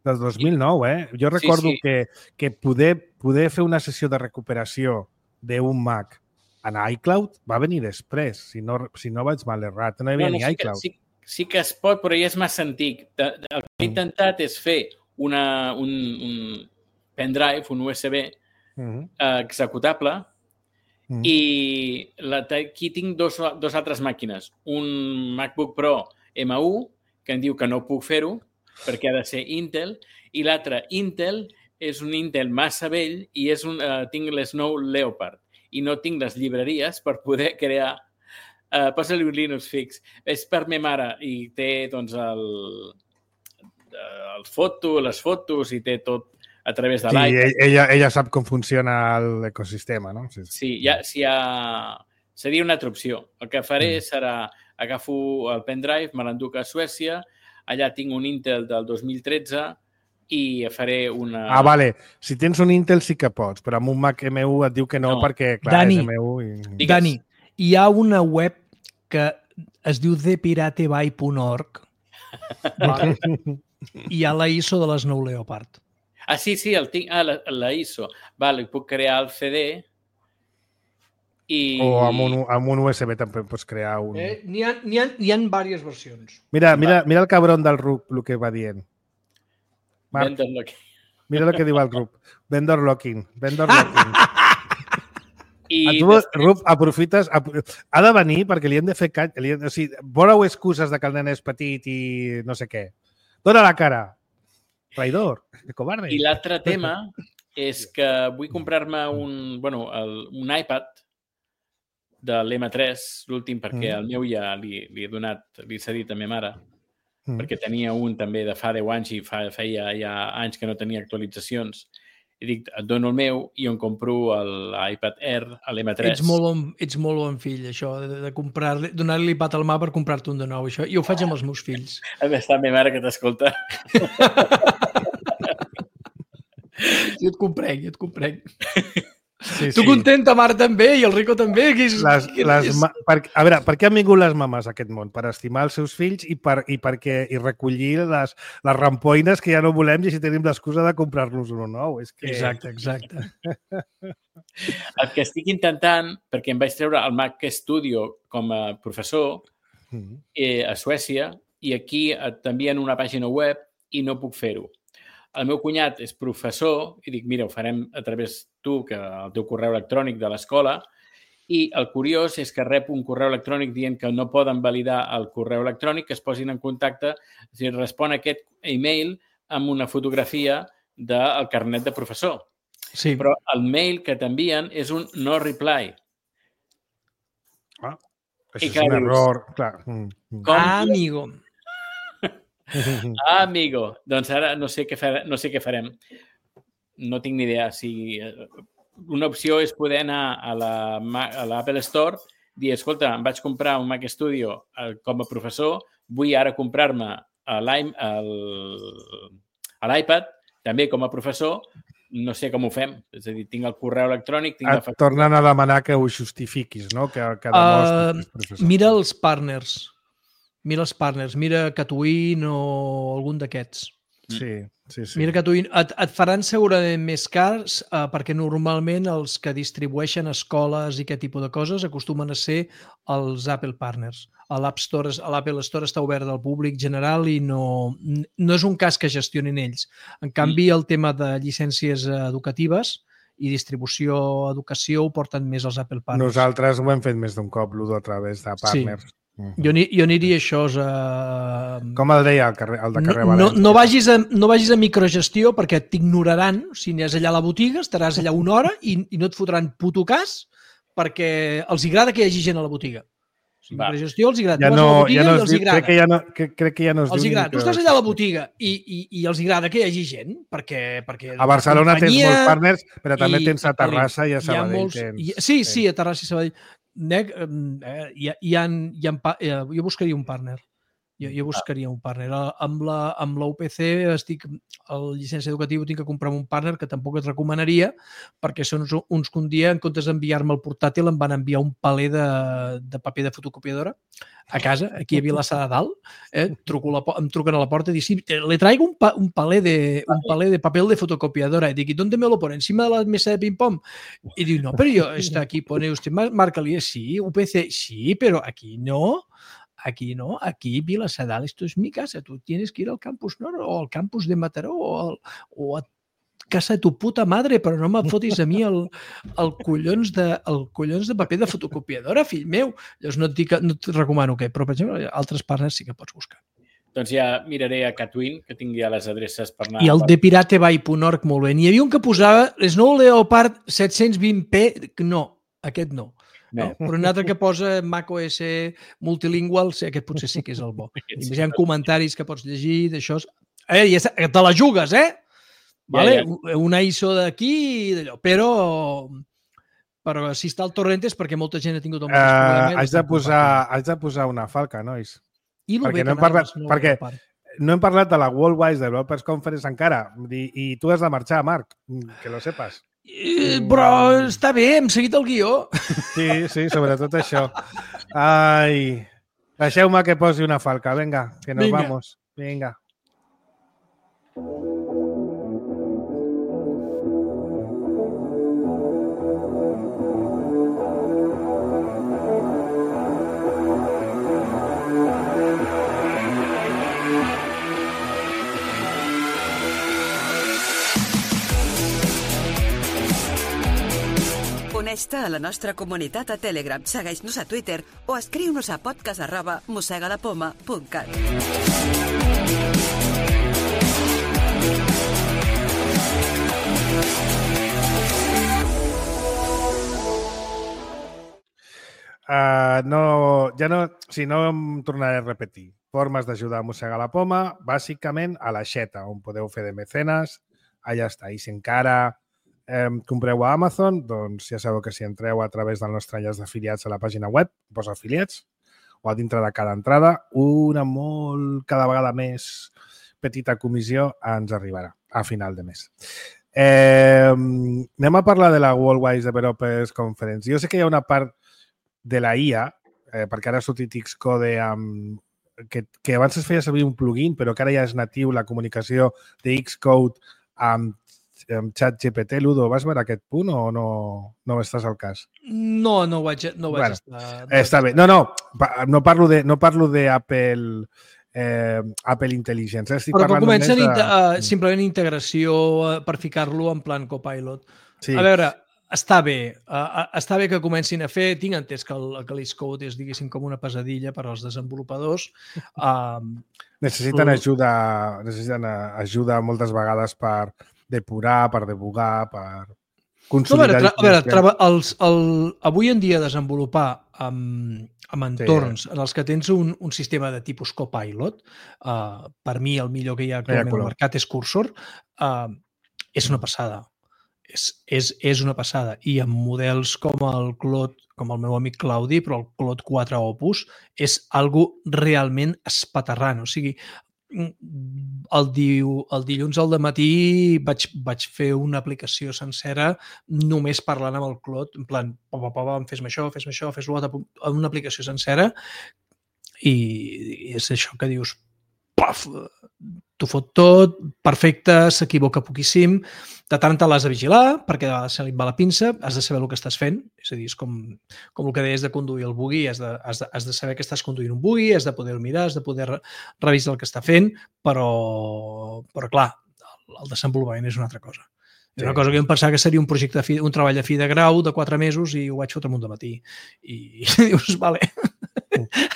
del 2009, Jo recordo que poder fer una sessió de recuperació d'un Mac en iCloud va venir després, si no vaig mal errat. No hi havia ni iCloud. Sí que es pot, però ja és massa antic. El que he intentat és fer un pendrive, un USB executable i aquí tinc dos altres màquines. Un MacBook Pro M1 que em diu que no puc fer-ho perquè ha de ser Intel, i l'altre Intel és un Intel massa vell i tinc l'Snow Leopard i no tinc les llibreries per poder crear posa-li un Linux fix. És per ma mare i té doncs les fotos i té tot a través de l'iPad. Sí, ella sap com funciona l'ecosistema, no? Sí, seria una altra opció. El que faré serà agafo el pendrive, me l'enduc a Suècia, allà tinc un Intel del 2013 i faré una... Vale. Si tens un Intel sí que pots, però amb un Mac M1 et diu que no perquè, clar, és M1. Dani, hi ha una web que es diu thepirateby.org i hi ha la ISO de l'Snow Leopard. Sí, el tinc. La ISO. Vale, puc crear el CD i... O amb un USB també pots crear un... N'hi ha diverses versions. Mira el cabron del Rup, el que va dient. Marc, mira el que diu el Rup. Vendor locking. I Rup, aprofites... Ha de venir perquè li hem de fer... O sigui, voleu excuses de que el nen és petit i no sé què. Dóna la cara. Traïdor, covarde. I l'altre tema és que vull comprar-me un iPad de l'M3, l'últim, perquè el meu ja li he cedit a ma mare, perquè tenia un també de fa 10 anys i feia ja anys que no tenia actualitzacions. I dic, et dono el meu i em compro l'iPad Air, l'M3. Ets molt bon fill, això, de donar-li l'iPad al mà per comprar-te un de nou. Això. Jo ho faig amb els meus fills. A més, està ma mare que t'escolta. Jo et comprenc. Sí. Tu contenta, Marc, també, i el Rico també. A veure, per què han vingut les mames a aquest món? Per estimar els seus fills i recollir les rampoines que ja no volem i si tenim l'excusa de comprar-nos un nou. Exacte. El que estic intentant, perquè em vaig treure el Mac Studio com a professor, a Suècia, i aquí t'envien una pàgina web i no puc fer-ho. El meu cunyat és professor i dic, mira, ho farem a través tu, que el teu correu electrònic de l'escola, i el curiós és que rep un correu electrònic dient que no poden validar el correu electrònic, que es posin en contacte, és a dir, respon a aquest e-mail amb una fotografia del carnet de professor. Sí. Però el mail que t'envien és un no reply. Això és un error, clar. Amigo. Amigo. Doncs ara no sé què farem. No tinc ni idea. Una opció és poder anar a l'Apple Store, dir, escolta, em vaig comprar un Mac Studio com a professor, vull ara comprar-me l'iPad, també com a professor, no sé com ho fem. És a dir, tinc el correu electrònic... Et tornen a demanar que ho justifiquis, no? Que demostris professor. Mira els partners. Mira Catwin o algun d'aquests. Sí. Mira Catwin. Et faran segurament més cars perquè normalment els que distribueixen escoles i aquest tipus de coses acostumen a ser els Apple Partners. L'Apple Store està obert al públic general i no és un cas que gestionin ells. En canvi, el tema de llicències educatives i distribució educació ho porten més els Apple Partners. Nosaltres ho hem fet més d'un cop, Ludo, a través de partners. Sí. Jo aniria això. Com el deia el de carrer València? No vagis a microgestió perquè t'ignoraran. Si aniràs allà a la botiga, estaràs allà una hora i no et fotran puto cas perquè els agrada que hi hagi gent a la botiga. Microgestió els agrada. Tu vas a la botiga i els agrada. Crec que ja no es diu. Tu estàs allà a la botiga i els agrada que hi hagi gent perquè a Barcelona tens molts partners, però també tens a Terrassa i a Sabadell. Sí, a Terrassa i Sabadell. Jo buscaria un partner. Jo buscaria un partner. Amb la UPC el llicència educatiu tinc que comprar un partner que tampoc et recomanaria perquè són uns que un dia, en comptes d'enviar-me el portàtil, em van enviar un paler de paper de fotocopiadora a casa, aquí a Vilassar de Dalt. Em truquen a la porta i dic, sí, le traigo un paler de papel de fotocopiadora. Y dic, ¿y dónde me lo pone? ¿Encima de la mesa de ping-pong? Y digo, no, pero yo, está aquí, pone usted, márcale, sí, UPC, sí, pero aquí no. Aquí no, aquí Vilassar de Dalt, esto es mi casa, tú tienes que ir al campus Nord o al campus de Mataró o a casa de tu puta madre, però no me fotis a mi el collons de paper de fotocopiadora, fill meu. Llavors no et recomano que, però per exemple, altres partners sí que pots buscar. Doncs ja miraré a Catwin, que tingui ja les adreces per anar... I el de piratebay.org, molt bé. N'hi havia un que posava Snow Leopard 720p, no, aquest no. No, però un altre que posa macOS multilingual, aquest potser sí que és el bo. I hi ha comentaris que pots llegir d'això. Te la jugues, eh? Vale? Una ISO d'aquí i d'allò. Però si està al torrent és perquè molta gent ha tingut el mateix problema. Haig de posar una falca, nois. Perquè no hem parlat de la Worldwide Developers Conference encara. I tu has de marxar, Marc, que lo sepas. Però està bé, hem seguit el guió. Sí, sobretot això. Ai, deixeu-me que posi una falca. Vinga, que nos vamos. Vinga. Uneix-te a la nostra comunitat a Telegram, segueix-nos a Twitter o escriu-nos a podcast@mossegalapoma.cat. No em tornaré a repetir. Formes d'ajudar a mossegar la poma, bàsicament a l'aixeta, on podeu fer de mecenes. Allà està. I si encara compreu a Amazon, doncs ja sabeu que si entreu a través del nostre enllaç d'afiliats a la pàgina web, posa afiliats, o a dintre de cada entrada, cada vegada més petita comissió ens arribarà a final de mes. Anem a parlar de la Worldwide Developers Conference. Jo sé que hi ha una part de la IA, perquè ara ha sortit Xcode que abans es feia servir un plugin, però que ara ja és natiu la comunicació de Xcode amb ChatGPT, Ludo, vas veure aquest punt o no estàs al cas? No vaig Bueno, estar... Està bé. No parlo d'Apple Apple Intelligence. Però que comencen simplement integració per ficar-lo en plan Copilot. Sí. A veure, està bé que comencin a fer. Tinc entès que l'Ace Code és, diguéssim, com una pesadilla per als desenvolupadors. Necessiten ajuda moltes vegades per depurar, per debugar, per consolidar... Avui en dia desenvolupar amb entorns en els que tens un sistema de tipus Copilot, per mi el millor que hi ha actualment al mercat és Cursor, és una passada. És una passada. I amb models com el Claude, com el meu amic Claudi, però el Claude 4 Opus, és algo realment espaterrant. O sigui, el dilluns al dematí vaig fer una aplicació sencera només parlant amb el Claude, en plan, fes-me això, fes-lo altre, una aplicació sencera, i és això que dius, paf, t'ho fot tot, perfecte, s'equivoca poquíssim, de tant l'has de vigilar, perquè de vegades se li va la pinça, has de saber el que estàs fent, és a dir, és com el que deies de conduir el buggy, has de saber que estàs conduint un buggy, has de poder-ho mirar, has de poder revisar el que està fent, però clar, el desenvolupament és una altra cosa. És una cosa que jo em pensava que seria un projecte, un treball de fi de grau de 4 mesos i ho vaig fotre amunt de matí. I dius, vale,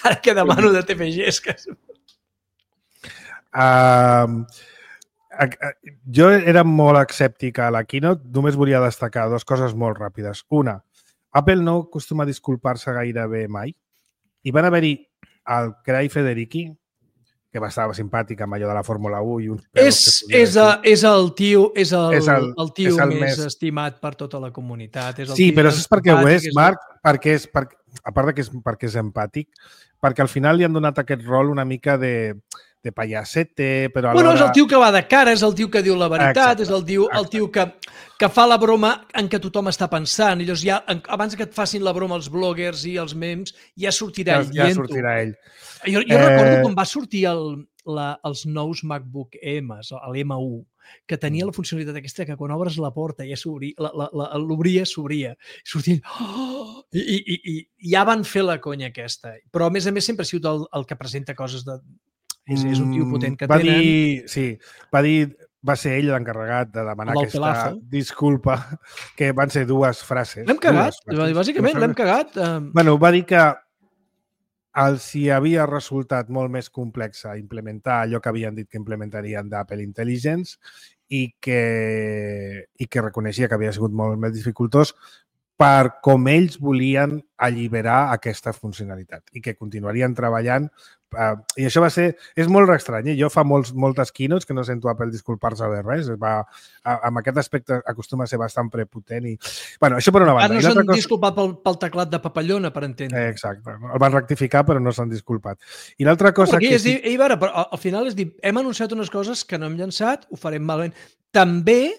ara què demano de TPGs? Jo era molt escèptic a la keynote, només volia destacar 2 coses molt ràpides. Una, Apple no acostuma a disculpar-se gairebé mai, i van haver-hi el Craig Federighi, que va estar simpàtic amb allò de la Fórmula 1 i uns és el tio més estimat per tota la comunitat. Sí, però és perquè ho és, Marc, a part que és empàtic, perquè al final li han donat aquest rol una mica de payasete, però alhora... Bueno, és el tio que va de cara, és el tio que diu la veritat, és el tio que fa la broma en què tothom està pensant. I llavors ja, abans que et facin la broma els bloggers i els memes, ja sortirà ell. Ja sortirà ell. Jo recordo quan va sortir els nous MacBook M's, l'M1, que tenia la funcionalitat aquesta que quan obres la porta ja l'obria, s'obria. Sortia i ja van fer la conya aquesta. Però a més sempre ha sigut el que presenta coses de... És un tio potent que tenen. Va ser ell l'encarregat de demanar aquesta disculpa, que van ser 2 frases. L'hem cagat, bàsicament, l'hem cagat. Bueno, va dir que els hi havia resultat molt més complex implementar allò que havien dit que implementarien d'Apple Intelligence i que reconeixia que havia sigut molt més dificultós per com ells volien alliberar aquesta funcionalitat i que continuarien treballant. I això és molt estrany. Jo fa moltes keynotes que no sento Apple disculpar-se de res. Amb aquest aspecte acostuma a ser bastant prepotent. Bueno, això per una banda. No s'han disculpat pel teclat de papallona, per entendre. Exacte. El van rectificar, però no s'han disculpat. I l'altra cosa que... Al final és dir, hem anunciat unes coses que no hem llançat, ho farem malament. També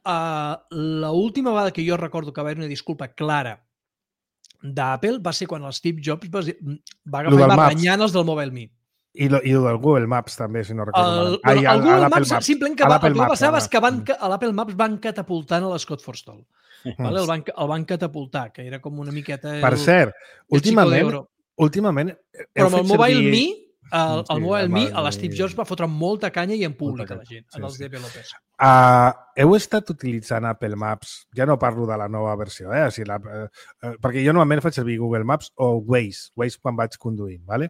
l'última vegada que jo recordo que va haver una disculpa clara d'Apple va ser quan el Steve Jobs va agafar i va renyant els del Mobile Me. I el del Google Maps també, si no recordo mal. El Google Maps, simplement que el que va passar és que l'Apple Maps van catapultant a l'Scott Forstall. El van catapultar, que era com una miqueta... Per cert, últimament... Però amb el Mobile Me, l'Steve Jobs va fotre molta canya i en públic a la gent, als developers. Heu estat utilitzant Apple Maps, ja no parlo de la nova versió, perquè jo normalment faig servir Google Maps o Waze quan vaig conduint, ¿vale?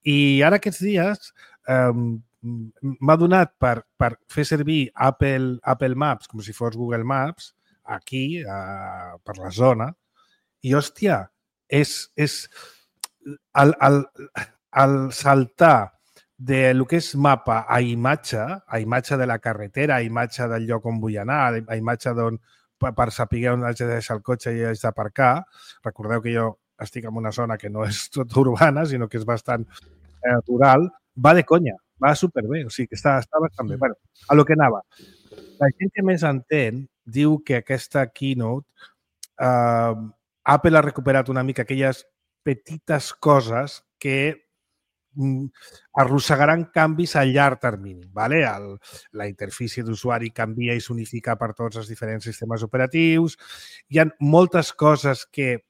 I ara aquests dies m'ha donat per fer servir Apple Maps com si fos Google Maps aquí, per la zona, i hòstia, és el saltar de lo que és mapa a imatge de la carretera, a imatge del lloc on vull anar, a imatge per saber on haig de deixar el cotxe i haig d'aparcar. Recordeu que jo estic en una zona que no és tot urbana, sinó que és bastant rural. Va de conya, va superbé, o sigui que està bastant bé. Bueno, a lo que anava. La gent que més entén diu que aquesta keynote Apple ha recuperat una mica aquelles petites coses que arrossegaran canvis a llarg termini. Vale? La interfície d'usuari canvia i s'unifica per tots els diferents sistemes operatius. Hi ha moltes coses que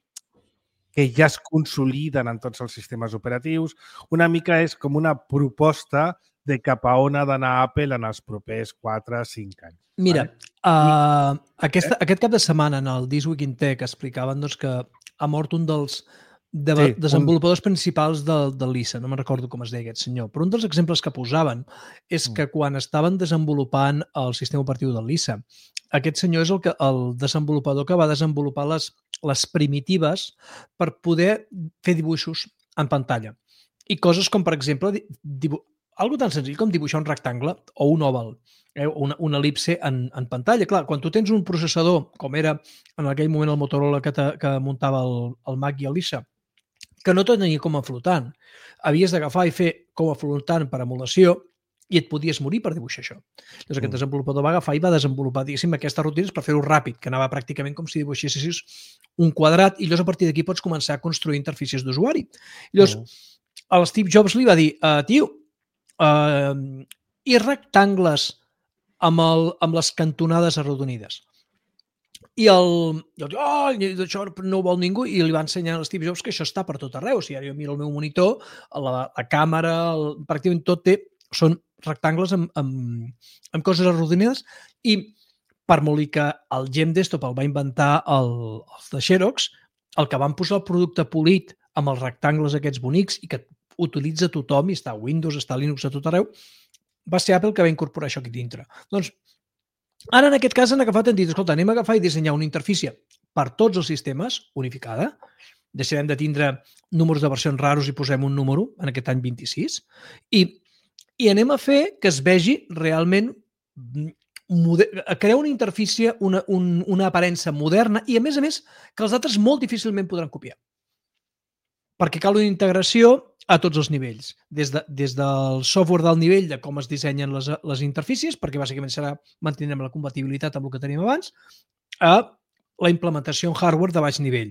ja es consoliden en tots els sistemes operatius. Una mica és com una proposta de cap a on ha d'anar Apple en els propers 4-5 anys. Mira, aquest cap de setmana en el This Week in Tech explicaven que ha mort un dels desenvolupadors principals del Lisa, no me'n recordo com es deia aquest senyor, però un dels exemples que posaven és que quan estaven desenvolupant el sistema operatiu del Lisa, aquest senyor és el desenvolupador que va desenvolupar les primitives per poder fer dibuixos en pantalla. I coses com, per exemple, algo tan senzill com dibuixar un rectangle o un oval, una elipse en pantalla. Clar, quan tu tens un processador, com era en aquell moment el Motorola que muntava el Mac i el Lisa, que no tot tenia com a flotant, havies d'agafar i fer com a flotant per emulació i et podies morir per dibuixar això. Llavors aquest desenvolupador va agafar i va desenvolupar, diguéssim, aquestes rutines per fer-ho ràpid, que anava pràcticament com si dibuixessis un quadrat i llavors a partir d'aquí pots començar a construir interfícies d'usuari. Llavors, el Steve Jobs li va dir, tio, i rectangles amb les cantonades arrodonides. I això no ho vol ningú, i li va ensenyar a Steve Jobs que això està per tot arreu. Si ara jo miro el meu monitor, la càmera, pràcticament tot són rectangles amb coses arrodonides, i per molt que el Gem Desktop el va inventar els de Xerox, el que van posar el producte polit amb els rectangles aquests bonics i que utilitza tothom, i està a Windows, està a Linux, a tot arreu, va ser Apple que va incorporar això aquí dintre. Doncs, ara en aquest cas han agafat i han dit, escolta, anem a agafar i dissenyar una interfície per tots els sistemes, unificada, deixarem de tindre números de versions raros i posem un número en aquest any 26, i anem a fer que es vegi realment crear una interfície, una aparença moderna i, a més, que els altres molt difícilment podran copiar. Perquè cal una integració a tots els nivells, des del software del nivell de com es dissenyen les interfícies, perquè bàsicament mantindrem la compatibilitat amb el que tenim abans, a la implementació en hardware de baix nivell.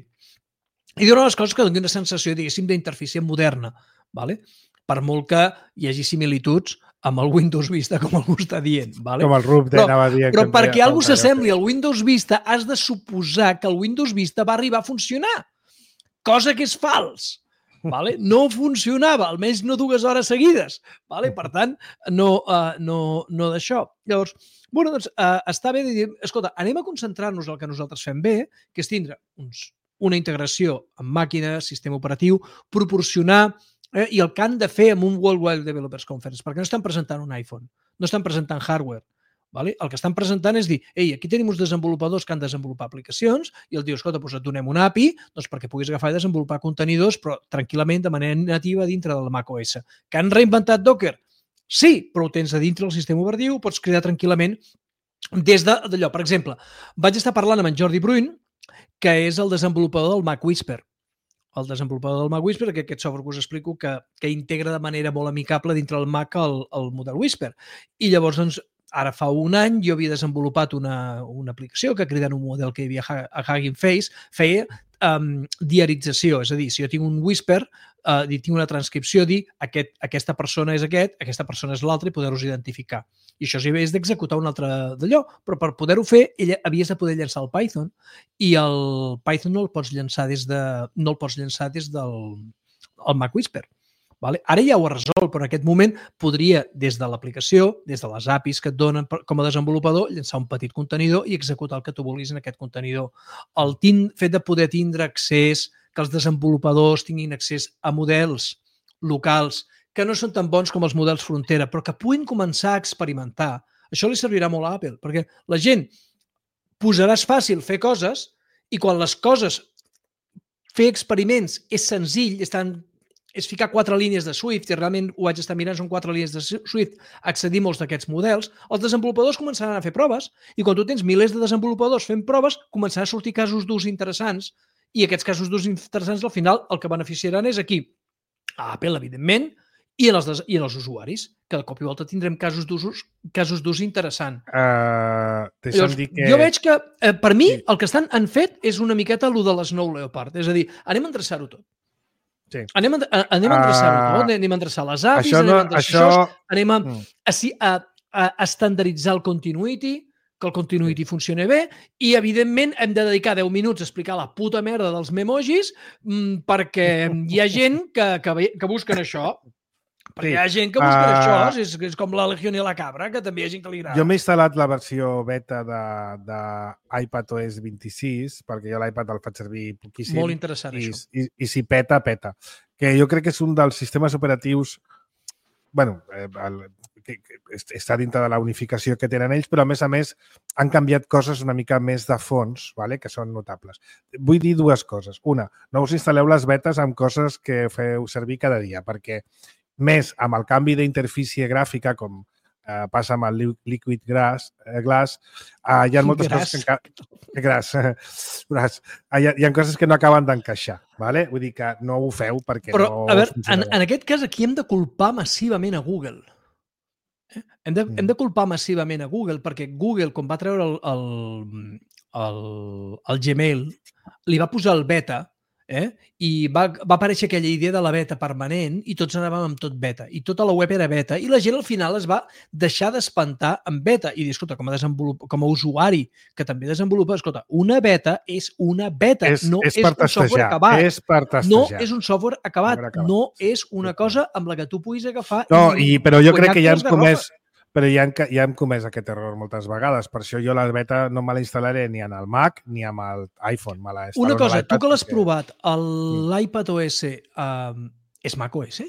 I una de les coses que doni una sensació, diguéssim, d'interfície moderna, ¿vale? Per molt que hi hagi similituds amb el Windows Vista, com algú està dient. ¿Vale? Com el RUP anava dient. Però perquè algú s'assembli al Windows Vista, has de suposar que el Windows Vista va arribar a funcionar, cosa que és fals. Vale? No funcionava, almenys no 2 hores seguides. Vale? Per tant, no d'això. Llavors, bueno, doncs, està bé de dir, escolta, anem a concentrar-nos en el que nosaltres fem bé, que és tindre una integració amb màquines, sistema operatiu, proporcionar i el que han de fer amb un Worldwide Developers Conference, perquè no estan presentant un iPhone, no estan presentant hardware. Vale? El que estan presentant és dir, ei, aquí tenim uns desenvolupadors que han de desenvolupar aplicacions i el diu, escolta, doncs et donem una API perquè puguis agafar i desenvolupar contenidors, però tranquil·lament, de manera nativa dintre del macOS. Que han reinventat Docker? Sí, però ho tens a dintre del sistema operatiu, ho pots crear tranquil·lament des d'allò. Per exemple, vaig estar parlant amb en Jordi Bruin, que és el desenvolupador del Mac Whisper. El desenvolupador del Mac Whisper, que aquest software que us explico que integra de manera molt amicable dintre del Mac el model Whisper. I llavors, doncs, ara fa un any jo havia desenvolupat una aplicació que cridant un model que hi havia a Hugging Face feia diarització. És a dir, si jo tinc un Whisper, tinc una transcripció, dir aquesta persona és aquesta persona és l'altra i poder-los identificar. I això és d'executar un altre d'allò, però per poder-ho fer havies de poder llançar el Python i el Python no el pots llançar des del Mac Whisper. Vale? Ara ja ho ha resolt, però en aquest moment podria, des de l'aplicació, des de les APIs que et donen com a desenvolupador, llançar un petit contenidor i executar el que tu vulguis en aquest contenidor. El fet de poder tindre accés, que els desenvolupadors tinguin accés a models locals que no són tan bons com els models frontera, però que puguin començar a experimentar, això li servirà molt a Apple, perquè la gent posaràs fàcil fer coses i quan les coses, fer experiments és senzill, és ficar 4 línies de Swift, i realment ho vaig estar mirant, són 4 línies de Swift, accedir molts d'aquests models, els desenvolupadors començaran a fer proves, i quan tu tens milers de desenvolupadors fent proves, començaran a sortir casos d'ús interessants, i aquests casos d'ús interessants, al final, el que beneficiaran és aquí, a Apple, evidentment, i en els usuaris, que de cop i volta tindrem casos d'ús interessant. Llavors, jo veig que, per mi, el que han fet és una miqueta allò de l'Snow Leopard, és a dir, anem a endreçar-ho tot. Anem a endreçar-ho, no? Anem a endreçar les APIs, anem a endreçar això, anem a estandarditzar el continuity, que el continuity funcioni bé, i, evidentment, hem de dedicar 10 minuts a explicar la puta merda dels memojis perquè hi ha gent que busquen això. Perquè hi ha gent que busca això, és com la Legión i la Cabra, que també hi ha gent que li agrada. Jo m'he instal·lat la versió beta d'iPadOS 26, perquè jo l'iPad el faig servir poquíssim. Molt interessant, això. I si peta, peta. Que jo crec que és un dels sistemes operatius, bueno, que està dintre de la unificació que tenen ells, però a més han canviat coses una mica més de fons, vale? Que són notables. Vull dir dues coses. Una, no us instal·leu les betes amb coses que feu servir cada dia, perquè més amb el canvi d'interfície gràfica, com passa amb el Liquid Glass, hi ha moltes coses que hi ha coses que no acaben d'encaixar, ¿vale? Vull dir que no ho feu perquè però, no... a veure, en aquest cas aquí hem de culpar massivament a Google. Hem de culpar massivament a Google perquè Google, quan va treure el Gmail, li va posar el beta, i va aparèixer aquella idea de la beta permanent i tots anàvem amb tot beta i tota la web era beta i la gent al final es va deixar d'espantar amb beta i dir, escolta, com a usuari que també desenvolupa, escolta, una beta és una beta, no és un software acabat. És per testejar. No és un software acabat, no és una cosa amb la que tu puguis agafar... No, però jo crec que ja hem comès... Però ja hem comès aquest error moltes vegades. Per això jo la beta no me la instal·laré ni en el Mac ni amb l'iPhone. Una cosa, tu que l'has provat, l'iPad OS és Mac OS?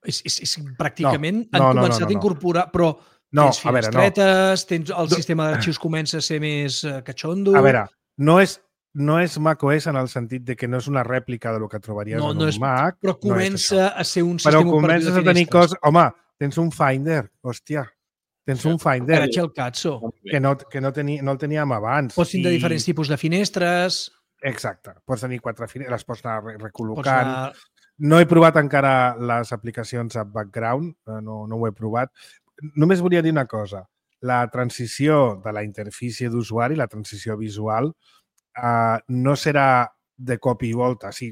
És pràcticament han començat a incorporar, però tens finestretes, tens el sistema d'arxius comença a ser més catxondo... A veure, no és Mac OS en el sentit de que no és una rèplica del que trobaries en un Mac. Però comença a ser un sistema operatiu de finestres. Però comences a tenir coses... Home, tens un Finder, hòstia. Tens un Finder. Era el cazzo. Que no el teníem abans. Pots tenir diferents tipus de finestres. Exacte. Pots tenir 4 finestres, les pots anar recol·locant. No he provat encara les aplicacions a background, no ho he provat. Només volia dir una cosa. La transició de la interfície d'usuari, la transició visual, no serà de cop i volta. Sí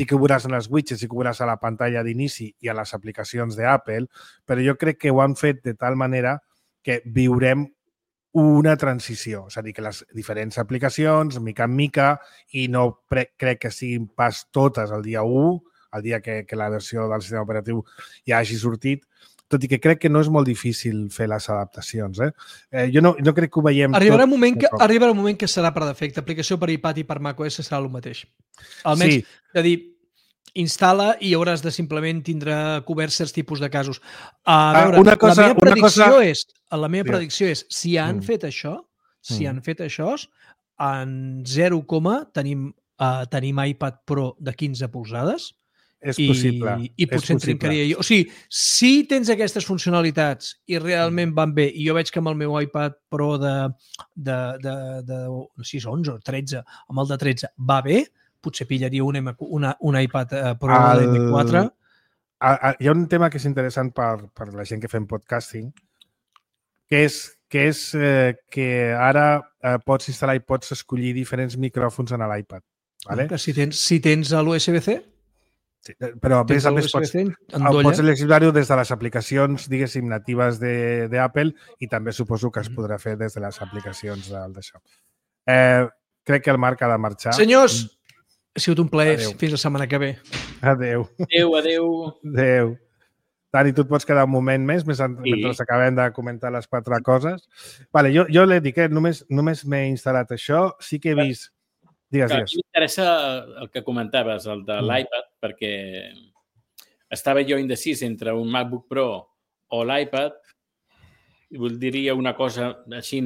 que ho veuràs en els widgets, sí que ho veuràs a la pantalla d'inici i a les aplicacions d'Apple, però jo crec que ho han fet de tal manera que viurem una transició. És a dir, que les diferents aplicacions, mica en mica, i no crec que siguin pas totes el dia 1, el dia que la versió del sistema operatiu ja hagi sortit, tot i que crec que no és molt difícil fer les adaptacions. Jo no crec que ho veiem arribarà un moment que serà per defecte. Aplicació per iPad i per macOS serà el mateix. Almenys, de dir, instal·la i hauràs de simplement tindre coberts certs tipus de casos. A veure, la meva predicció és, si han fet això, en 0, tenim iPad Pro de 15 polzades, és possible. I potser en trincaria jo. O sigui, si tens aquestes funcionalitats i realment van bé, i jo veig que amb el meu iPad Pro de 11 o 13, amb el de 13 va bé, potser pillaria un iPad Pro de M4. Hi ha un tema que és interessant per la gent que fem podcasting, que és que ara pots instal·lar i pots escollir diferents micròfons en l'iPad. Vale? Si tens l'USB-C, sí, però a més pots seleccionar-ho des de les aplicacions, diguéssim, natives d'Apple i també suposo que es podrà fer des de les aplicacions d'això. Crec que el Marc ha de marxar. Senyors, ha sigut un plaer. Fins la setmana que ve. Adéu. Adéu. Dani, tu et pots quedar un moment més mentre acabem de comentar les 4 coses. Vale, jo l'he dit, només m'he instal·lat això. Sí que he vist... Digues. M'interessa el que comentaves, el de l'iPad, perquè estava jo indecís entre un MacBook Pro o l'iPad i diria una cosa així...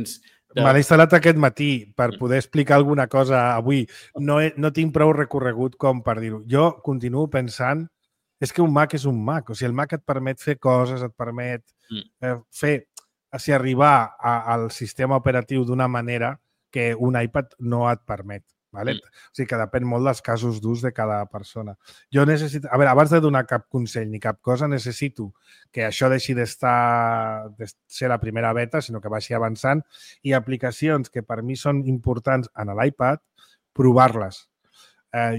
Me l'he instal·lat aquest matí per poder explicar alguna cosa avui. No tinc prou recorregut com per dir-ho. Jo continuo pensant és que un Mac és un Mac. O sigui, el Mac et permet fer coses, et permet arribar al sistema operatiu d'una manera que un iPad no et permet. Vale? O sigui que depèn molt dels casos d'ús de cada persona. Jo necessito... A veure, abans de donar cap consell ni cap cosa, necessito que això deixi de ser la primera beta, sinó que vagi avançant, i aplicacions que per mi són importants en l'iPad, provar-les.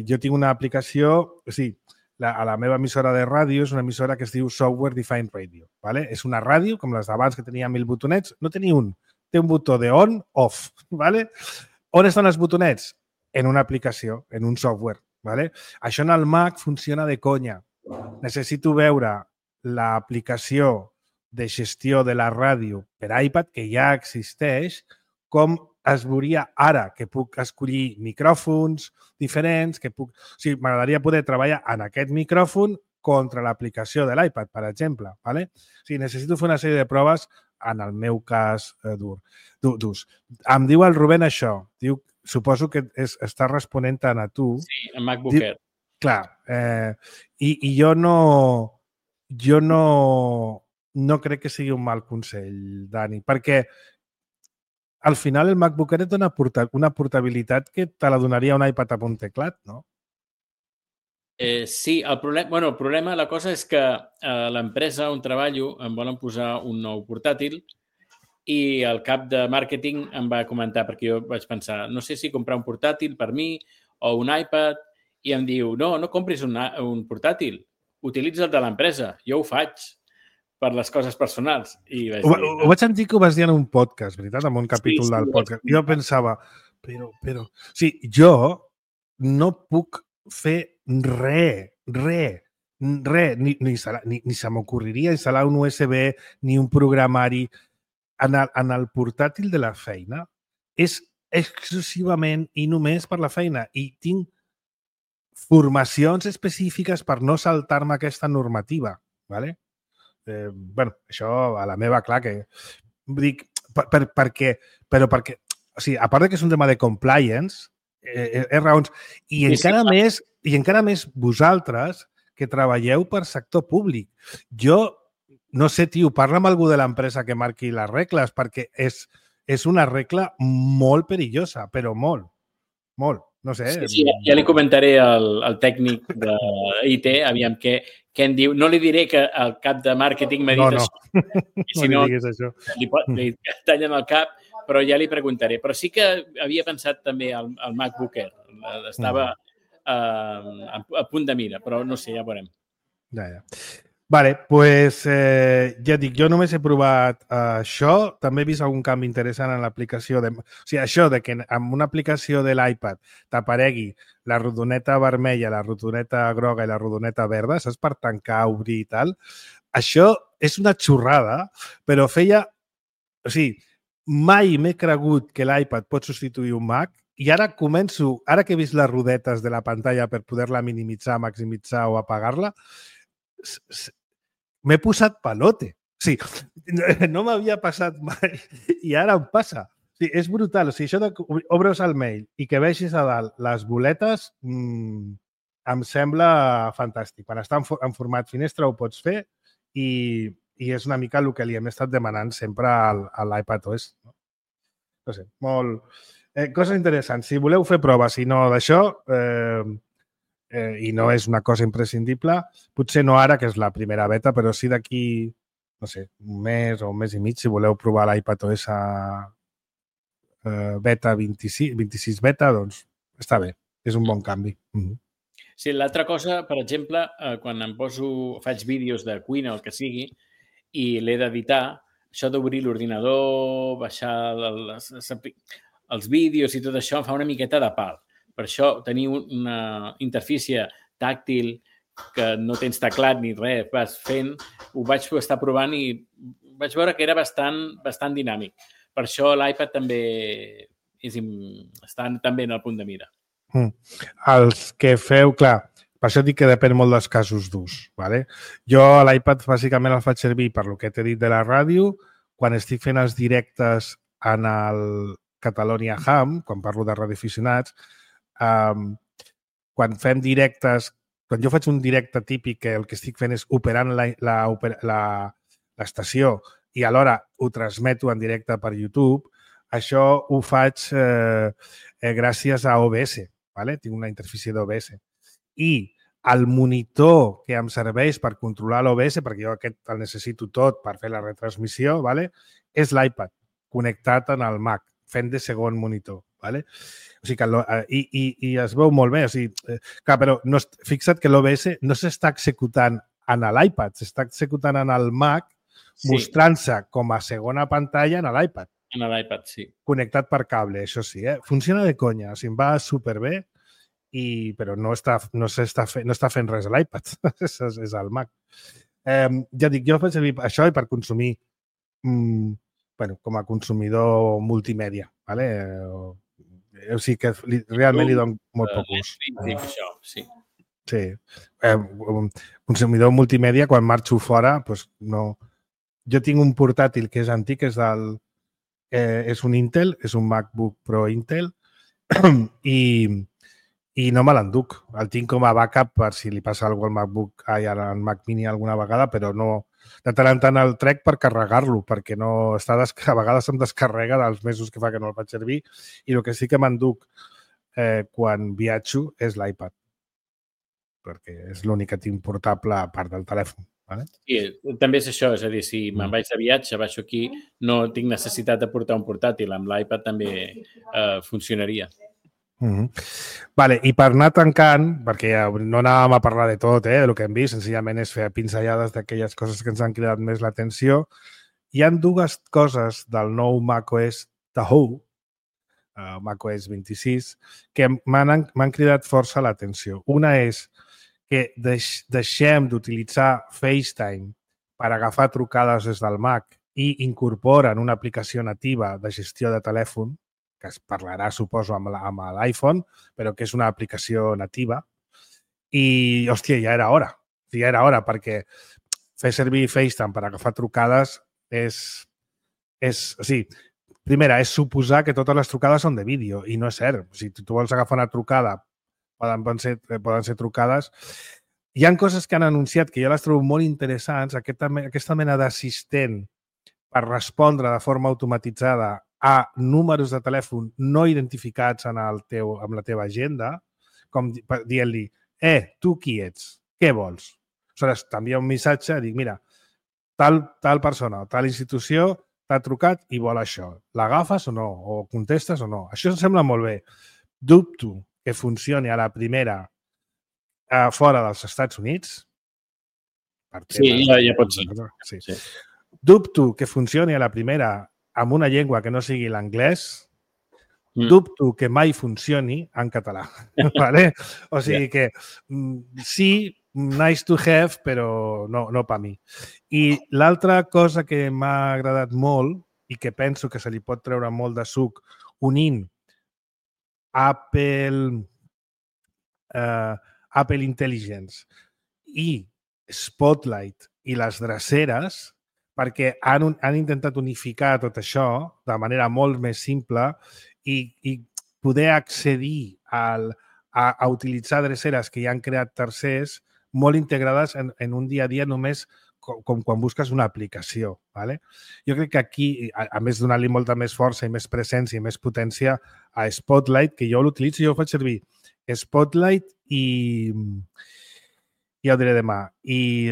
jo tinc una aplicació, o sigui, a la meva emissora de ràdio és una emissora que es diu Software Defined Radio. ¿Vale? És una ràdio, com les d'abans, que tenia 1000 botonets. No tenia un. Té un botó de on, off. ¿Vale? On estan els botonets? En una aplicació, en un software. ¿Vale? Això en el Mac funciona de conya. Necessito veure l'aplicació de gestió de la ràdio per iPad, que ja existeix, com es veuria ara, que puc escollir micròfons diferents, que puc... O sigui, m'agradaria poder treballar en aquest micròfon contra l'aplicació de l'iPad, per exemple. ¿Vale? O sigui, necessito fer una sèrie de proves en el meu cas d'ús. Em diu el Rubén això. Diu, suposo que està responent tant a tu. Sí, en MacBook Air. Clar. I jo no crec que sigui un mal consell, Dani, perquè al final el MacBook Air et dona una portabilitat que te la donaria un iPad amb un teclat, no? Sí, el problema, la cosa és que l'empresa on treballo em volen posar un nou portàtil i el cap de màrqueting em va comentar, perquè jo vaig pensar, no sé si comprar un portàtil per mi o un iPad, i em diu, no compris un portàtil, utilitza el de l'empresa, jo ho faig per les coses personals. I vaig dir, ho vaig sentir que ho vas dir en un podcast, veritat? En un capítol del podcast. Jo pensava, però... O sigui, jo no puc fer res, ni se m'ocorreria instal·lar un USB ni un programari en el portàtil de la feina. És exclusivament i només per la feina. I tinc formacions específiques per no saltar-me aquesta normativa, ¿vale? Això a la meva, clar, que dic, perquè, o sigui, a part que és un tema de compliance, és raons, i encara més vosaltres que treballeu per sector públic. Jo, no sé, tio, parla amb algú de l'empresa que marqui les regles, perquè és una regla molt perillosa, però molt. No sé. Sí, ja li comentaré al tècnic d'IT, aviam què en diu. No li diré que el cap de màrqueting m'ha dit això. No li diguis això. Li tallen el cap, però ja li preguntaré. Però sí que havia pensat també al MacBook Air. Estava a punt de mira, però no sé, ja veurem. Ja. Vale, doncs ja dic, jo només he provat això. També he vist algun canvi interessant en l'aplicació. O sigui, això de que amb una aplicació de l'iPad t'aparegui la rodoneta vermella, la rodoneta groga i la rodoneta verda, saps, per tancar, obrir i tal. Això és una xorrada, però feia... O sigui, mai m'he cregut que l'iPad pot substituir un Mac i ara començo, ara que he vist les rodetes de la pantalla per poder-la minimitzar, maximitzar o apagar-la, m'he posat palote. O sigui, no m'havia passat mai i ara em passa. O sigui, és brutal. O sigui, això de obres el mail i que vegis a dalt les boletes em sembla fantàstic. Quan està en format finestra ho pots fer i és una mica el que li hem estat demanant sempre a l'iPadOS. No sé, molt... Coses interessants. Si voleu fer proves, si no d'això... i no és una cosa imprescindible, potser no ara, que és la primera beta, però sí d'aquí, no sé, un mes o un mes i mig, si voleu provar l'iPadOS beta 26 beta, doncs està bé, és un bon canvi. Sí, l'altra cosa, per exemple, quan faig vídeos de cuina o el que sigui i l'he d'editar, això d'obrir l'ordinador, baixar els vídeos i tot això em fa una miqueta de pal. Per això, tenir una interfície tàctil que no tens teclat ni res, vas fent, ho vaig estar provant i vaig veure que era bastant dinàmic. Per això l'iPad també està també en el punt de mira. Els que feu, clar, per això dic que depèn molt dels casos d'ús. ¿Vale? Jo l'iPad bàsicament el faig servir per lo que t'he dit de la ràdio, quan estic fent els directes en el Catalonia Ham, quan parlo de radioaficionats, quan fem directes, quan jo faig un directe típic que el que estic fent és operant l'estació i alhora ho transmeto en directe per YouTube, això ho faig gràcies a OBS. ¿Vale? Tinc una interfície d'OBS. I el monitor que em serveix per controlar l'OBS, perquè jo aquest el necessito tot per fer la retransmissió, ¿vale? És l'iPad connectat en el Mac, fent de segon monitor. ¿vale? O sigui que i es veu molt bé. O sigui, clar, però no, fixa't que l'OBS no s'està executant en l'iPad, s'està executant en el Mac, mostrant-se com a segona pantalla en l'iPad. En l'iPad, sí. Connectat per cable, això sí. Funciona de conya, o sigui, em va superbé, però no està fent res a l'iPad, és al Mac. Ja dic, jo faig servir això per consumir, com a consumidor multimèdia, ¿vale? O sigui que realment li dono molt poc ús. Sí. Sí. Consumidor multimèdia, quan marxo fora, doncs no... Jo tinc un portàtil que és antic, és un Intel, és un MacBook Pro Intel, i no me l'enduc. El tinc com a backup per si li passa alguna cosa al MacBook, al Mac Mini alguna vegada, però no... De tant en tant el trec per carregar-lo, perquè no està a vegades em descarrega dels mesos que fa que no el faig servir, i el que sí que m'enduc quan viatjo és l'iPad, perquè és l'únic que tinc portable a part del telèfon. Vale? Sí, també és això, és a dir, si me'n vaig de viatge, baixo aquí, no tinc necessitat de portar un portàtil, amb l'iPad també funcionaria. Vale, i per anar tancant, perquè no anàvem a parlar de tot, del que hem vist, senzillament és fer pinzellades d'aquelles coses que ens han cridat més l'atenció, hi ha dues coses del nou macOS Tahoe, macOS 26, que m'han cridat força l'atenció. Una és que deixem d'utilitzar FaceTime per agafar trucades des del Mac i incorporen una aplicació nativa de gestió de telèfon, que es parlarà, suposo, amb l'iPhone, però que és una aplicació nativa. I, hòstia, ja era hora. Ja era hora, perquè fer servir FaceTime per agafar trucades o sigui, primera, és suposar que totes les trucades són de vídeo, i no és cert. Si tu vols agafar una trucada, poden ser trucades. Hi ha coses que han anunciat que jo les trobo molt interessants, aquesta mena d'assistent per respondre de forma automatitzada a números de telèfon no identificats en la teva agenda, com dient-li, tu qui ets? Què vols? Aleshores, t'envia un missatge, dic, mira, tal persona o tal institució t'ha trucat i vol això. L'agafes o no? O contestes o no? Això em sembla molt bé. Dubto que funcioni a la primera fora dels Estats Units. Sí, ja pot ser. Sí. Dubto que funcioni a la primera amb una llengua que no sigui l'anglès. Dubto que mai funcioni en català. ¿Vale? O sigui que sí, nice to have, però no per mi. I l'altra cosa que m'ha agradat molt i que penso que se li pot treure molt de suc unint Apple Intelligence i Spotlight i les dreceres, perquè han intentat unificar tot això de manera molt més simple i poder accedir a utilitzar dreceres que ja han creat tercers molt integrades en un dia a dia només com quan busques una aplicació. ¿Vale? Jo crec que aquí, a més donar-li molta més força i més presència i més potència a Spotlight, que jo l'utilitzo, jo ho faig servir Spotlight i ja ho diré demà. I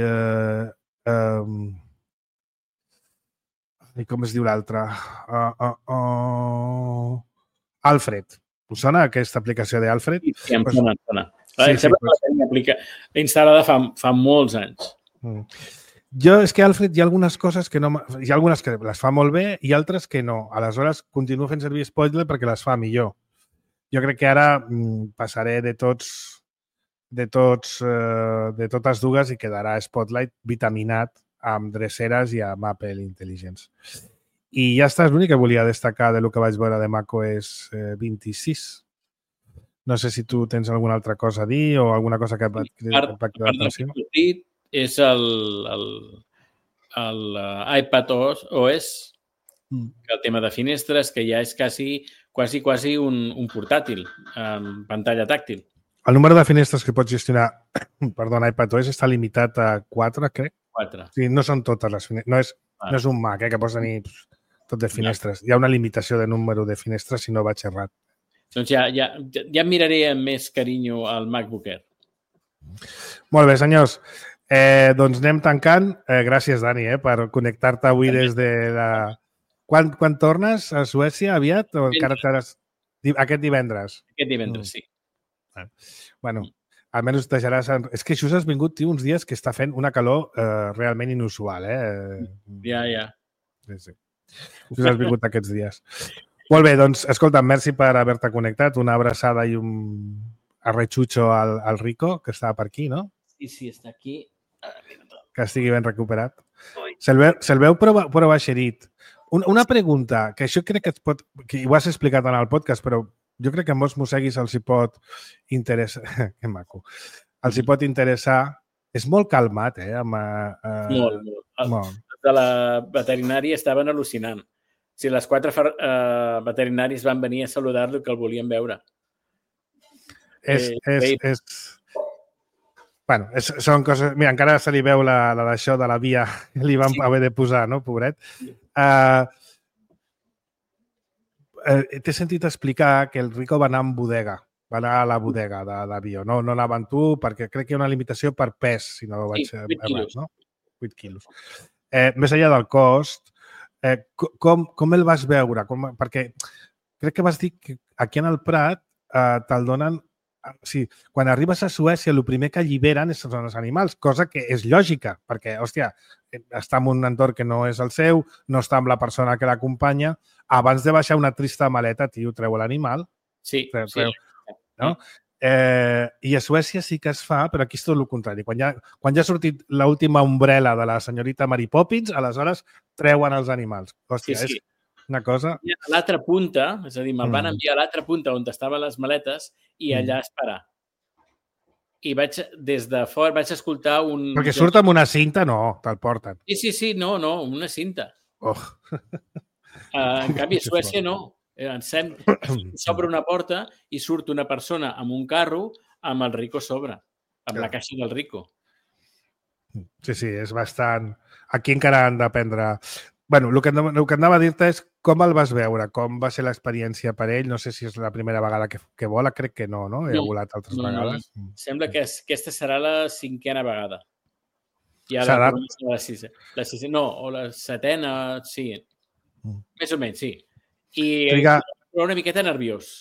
com es diu l'altre? Alfred. Us sona aquesta aplicació d'Alfred? Sí, em sona. Em sembla que la tenia instal·lada fa molts anys. Jo, és que Alfred hi ha algunes coses que no... Hi ha algunes que les fa molt bé i altres que no. Aleshores, continuo fent servir Spotlight perquè les fa millor. Jo crec que ara passaré de totes dues i quedarà Spotlight vitaminat amb dreceres i amb Apple Intelligence. I ja està, és l'únic que volia destacar del que vaig veure de macOS 26. No sé si tu tens alguna altra cosa a dir o alguna cosa que et va cridar l'atenció. És l'iPad OS, que el tema de finestres, que ja és quasi un portàtil amb pantalla tàctil. El número de finestres que pots gestionar en iPadOS està limitat a 4, crec. 4. Sí, no són totes les finestres. No és un Mac, que pots tenir tot de finestres. Hi ha una limitació de número de finestres si no vaig errat. Doncs ja miraré amb més carinyo el MacBook Air. Molt bé, senyors. Doncs anem tancant. Gràcies, Dani, per connectar-te avui des de la... Quan tornes a Suècia? Aviat? O encara estaràs... Aquest divendres. Aquest divendres, sí. Bueno, almenys deixaràs... És que just has vingut, tio, uns dies que està fent una calor realment inusual, Ja. Sí. Just has vingut aquests dies. Molt bé, doncs, escolta, merci per haver-te connectat. Una abraçada i un arretxutxo al Rico, que està per aquí, no? Sí, està aquí. Que estigui ben recuperat. Se'l veu prou eixerit. Una pregunta, que això crec que et pot... que ho has explicat en el podcast, però jo crec que a molts mosseguis els hi pot interessar... Que maco. Els hi pot interessar... És molt calmat, Molt. De la veterinària estaven al·lucinant. Si les 4 veterinaris van venir a saludar-lo que el volien veure. Bueno, són coses... Mira, encara se li veu la d'això de la via que li van haver de posar, no, pobret? T'he sentit explicar que el Rico va anar amb bodega, va anar a la bodega d'avió. No anava amb tu, perquè crec que hi ha una limitació per pes, si no vaig errat, no? 8 quilos. Més enllà del cost, com el vas veure? Perquè crec que vas dir que aquí en el Prat te'l donen... Sí, quan arribes a Suècia, el primer que alliberen són els animals, cosa que és lògica, perquè, hòstia, està en un entorn que no és el seu, no està amb la persona que l'acompanya. Abans de baixar una trista maleta, tio, treu l'animal. Sí. No? I a Suècia sí que es fa, però aquí és tot el contrari. Quan ja ha sortit l'última ombrela de la senyorita Mary Poppins, aleshores treuen els animals. Hòstia, és una cosa... A l'altra punta, és a dir, me'l van enviar a l'altra punta on estaven les maletes i allà esperar. I des de fora vaig escoltar un... Perquè surt amb una cinta, no, te'l porten. Sí, no, una cinta. Oh. En canvi, a Suècia no. S'obre una porta i surt una persona amb un carro amb el Rico a sobre, amb la caixa del Rico. Sí, és bastant... Aquí encara han d'aprendre... Bueno, el que anava a dir-te és com el vas veure, com va ser l'experiència per ell. No sé si és la primera vegada que vola, crec que no? He volat altres vegades. Sembla que aquesta serà la 5a vegada. Serà? La 6a, no, o la 7a, sí. Més o menys, sí. I una miqueta nerviós.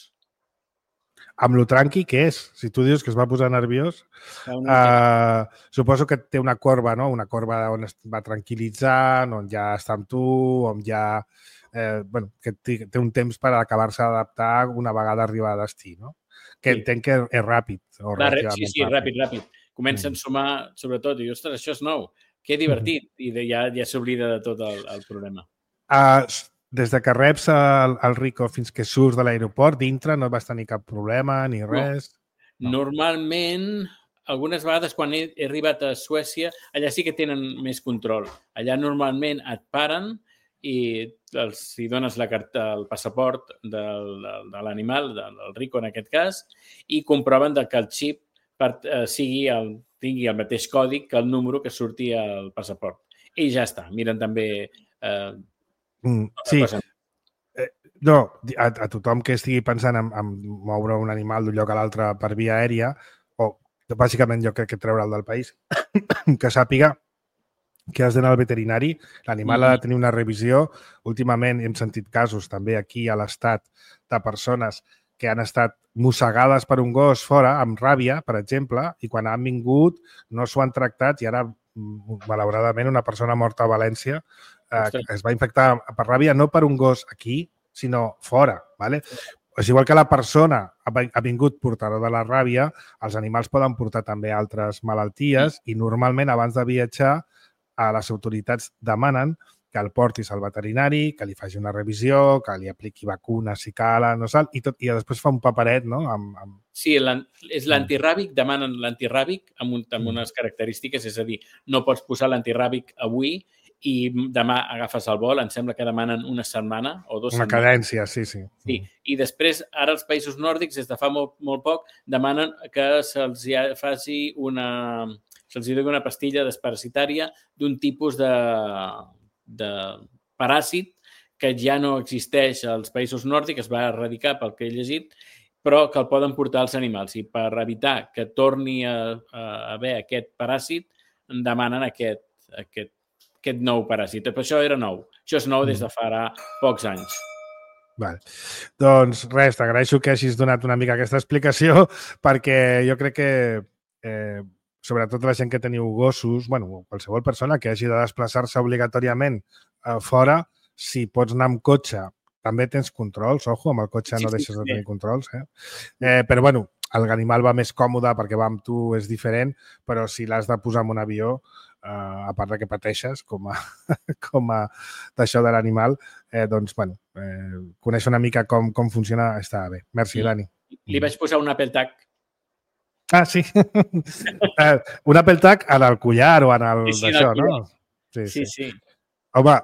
Amb lo tranqui que és. Si tu dius que es va posar nerviós, suposo que té una corba, no? Una corba on es va tranquil·litzant, on ja està amb tu, on ja... que té un temps per acabar-se d'adaptar una vegada arribar a destí, no? Que entenc que és ràpid. Sí, ràpid. Comença a ensumar, sobretot, i ostres, això és nou. Que divertit. I ja s'oblida de tot el problema. Des de que reps el Rico fins que surts de l'aeroport, dintre no vas tenir cap problema ni res? No. Normalment, algunes vegades quan he arribat a Suècia, allà sí que tenen més control. Allà normalment et paren i hi dones el passaport de l'animal, del Rico en aquest cas, i comproven que el xip tingui el mateix codi que el número que surti al passaport. I ja està. Miren també... Sí. No, a tothom que estigui pensant en moure un animal d'un lloc a l'altre per via aèria, o bàsicament jo crec que treure'l del país, que sàpiga que has d'anar al veterinari, l'animal ha de tenir una revisió. Últimament hem sentit casos també aquí a l'Estat de persones que han estat mossegades per un gos fora, amb ràbia, per exemple, i quan han vingut no s'ho han tractat i ara, malauradament, una persona morta a València es va infectar per ràbia no per un gos aquí, sinó fora. ¿vale? És igual que la persona ha vingut portador de la ràbia, els animals poden portar també altres malalties i normalment abans de viatjar les autoritats demanen que el portis al veterinari, que li faci una revisió, que li apliqui vacunes si cal, no sal, i després fa un paperet, no? Sí, és l'antiràbic, demanen l'antiràbic amb unes característiques, és a dir, no pots posar l'antiràbic avui i demà agafes el vol, em sembla que demanen una setmana o 2 setmanes. Una cadència, sí. Sí, i després, ara els països nòrdics, des de fa molt poc, demanen que se'ls faci se'ls doni una pastilla desparasitària d'un tipus de paràsit que ja no existeix als països nòrdics, es va erradicar pel que he llegit, però que el poden portar als animals. I per evitar que torni a haver aquest paràsit, demanen aquest nou paràsit. Però això era nou. Això és nou des de fa pocs anys. Vale. Doncs res, t'agraeixo que hagis donat una mica aquesta explicació perquè jo crec que sobretot la gent que teniu gossos, bueno, qualsevol persona que hagi de desplaçar-se obligatòriament fora, si pots anar amb cotxe, també tens controls, ojo, amb el cotxe no deixes de tenir controls, però bueno, l'animal va més còmode perquè va amb tu, és diferent, però si l'has de posar en un avió, a part que pateixes com a d'això de l'animal, doncs, bueno, conèixer una mica com funciona està bé. Merci, Dani. Li vaig posar un Apple Tag. Ah, sí. Un Apple Tag en el collar o en el d'això, no? Sí. Home,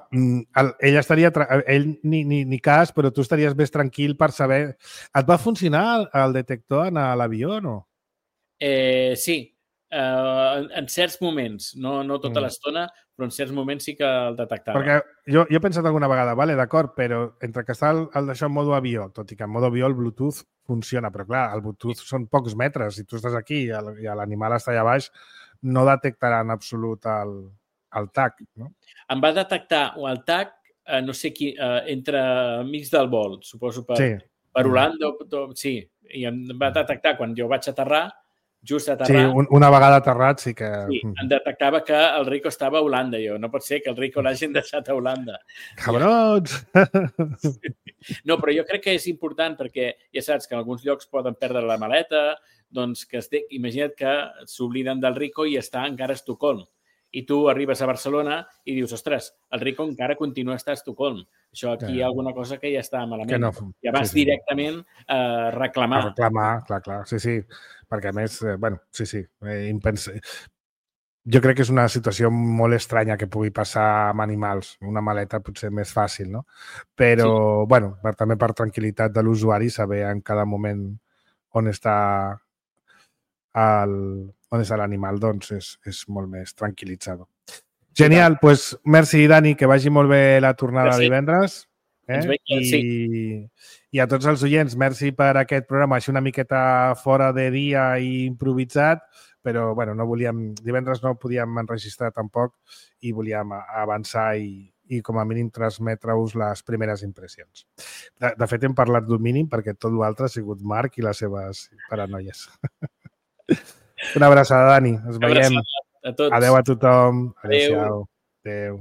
ell estaria... Ell ni cas, però tu estaries més tranquil per saber... Et va funcionar el detector en l'avió o no? Sí. En certs moments, no tota l'estona, però en certs moments sí que el detectava. Perquè jo he pensat alguna vegada, vale, d'acord, però entre que està el d'això en modo avió, tot i que en modo avió el Bluetooth funciona, però clar, el Bluetooth són pocs metres, si tu estàs aquí i l'animal està allà baix, no detectarà en absolut el tag, no? Em va detectar el tag, no sé qui, entre amics del vol, suposo per Holanda, sí, i em va detectar quan jo vaig aterrar, just aterrar... Sí, una vegada aterrat sí que... Sí, em detectava que el Rico estava a Holanda. Jo, no pot ser que el Rico l'hagin deixat a Holanda. Cabrons! No, però jo crec que és important perquè ja saps que en alguns llocs poden perdre la maleta, doncs que imagina't que s'obliden del Rico i està encara a Estocolm. I tu arribes a Barcelona i dius, ostres, el Rico encara continua a estar a Estocolm. Això aquí hi ha alguna cosa que ja està malament. I vas directament a reclamar. A reclamar, clar. Sí. Perquè a més, bueno, sí. Jo crec que és una situació molt estranya que pugui passar amb animals. Una maleta potser més fàcil, no? Però, bueno, també per tranquil·litat de l'usuari, saber en cada moment on està l'animal, doncs és molt més tranquil·litzador. Genial, doncs merci, Dani, que vagi molt bé la tornada de divendres. I a tots els oients, merci per aquest programa, així una miqueta fora de dia i improvisat, però bueno, divendres no podíem enregistrar tampoc i volíem avançar i com a mínim transmetre-us les primeres impressions. De fet, hem parlat d'un mínim perquè tot l'altre ha sigut Marc i les seves paranoies. Una abraçada, Dani. Ens veiem. A tots. Adéu a tothom. Adéu-siau. Adéu.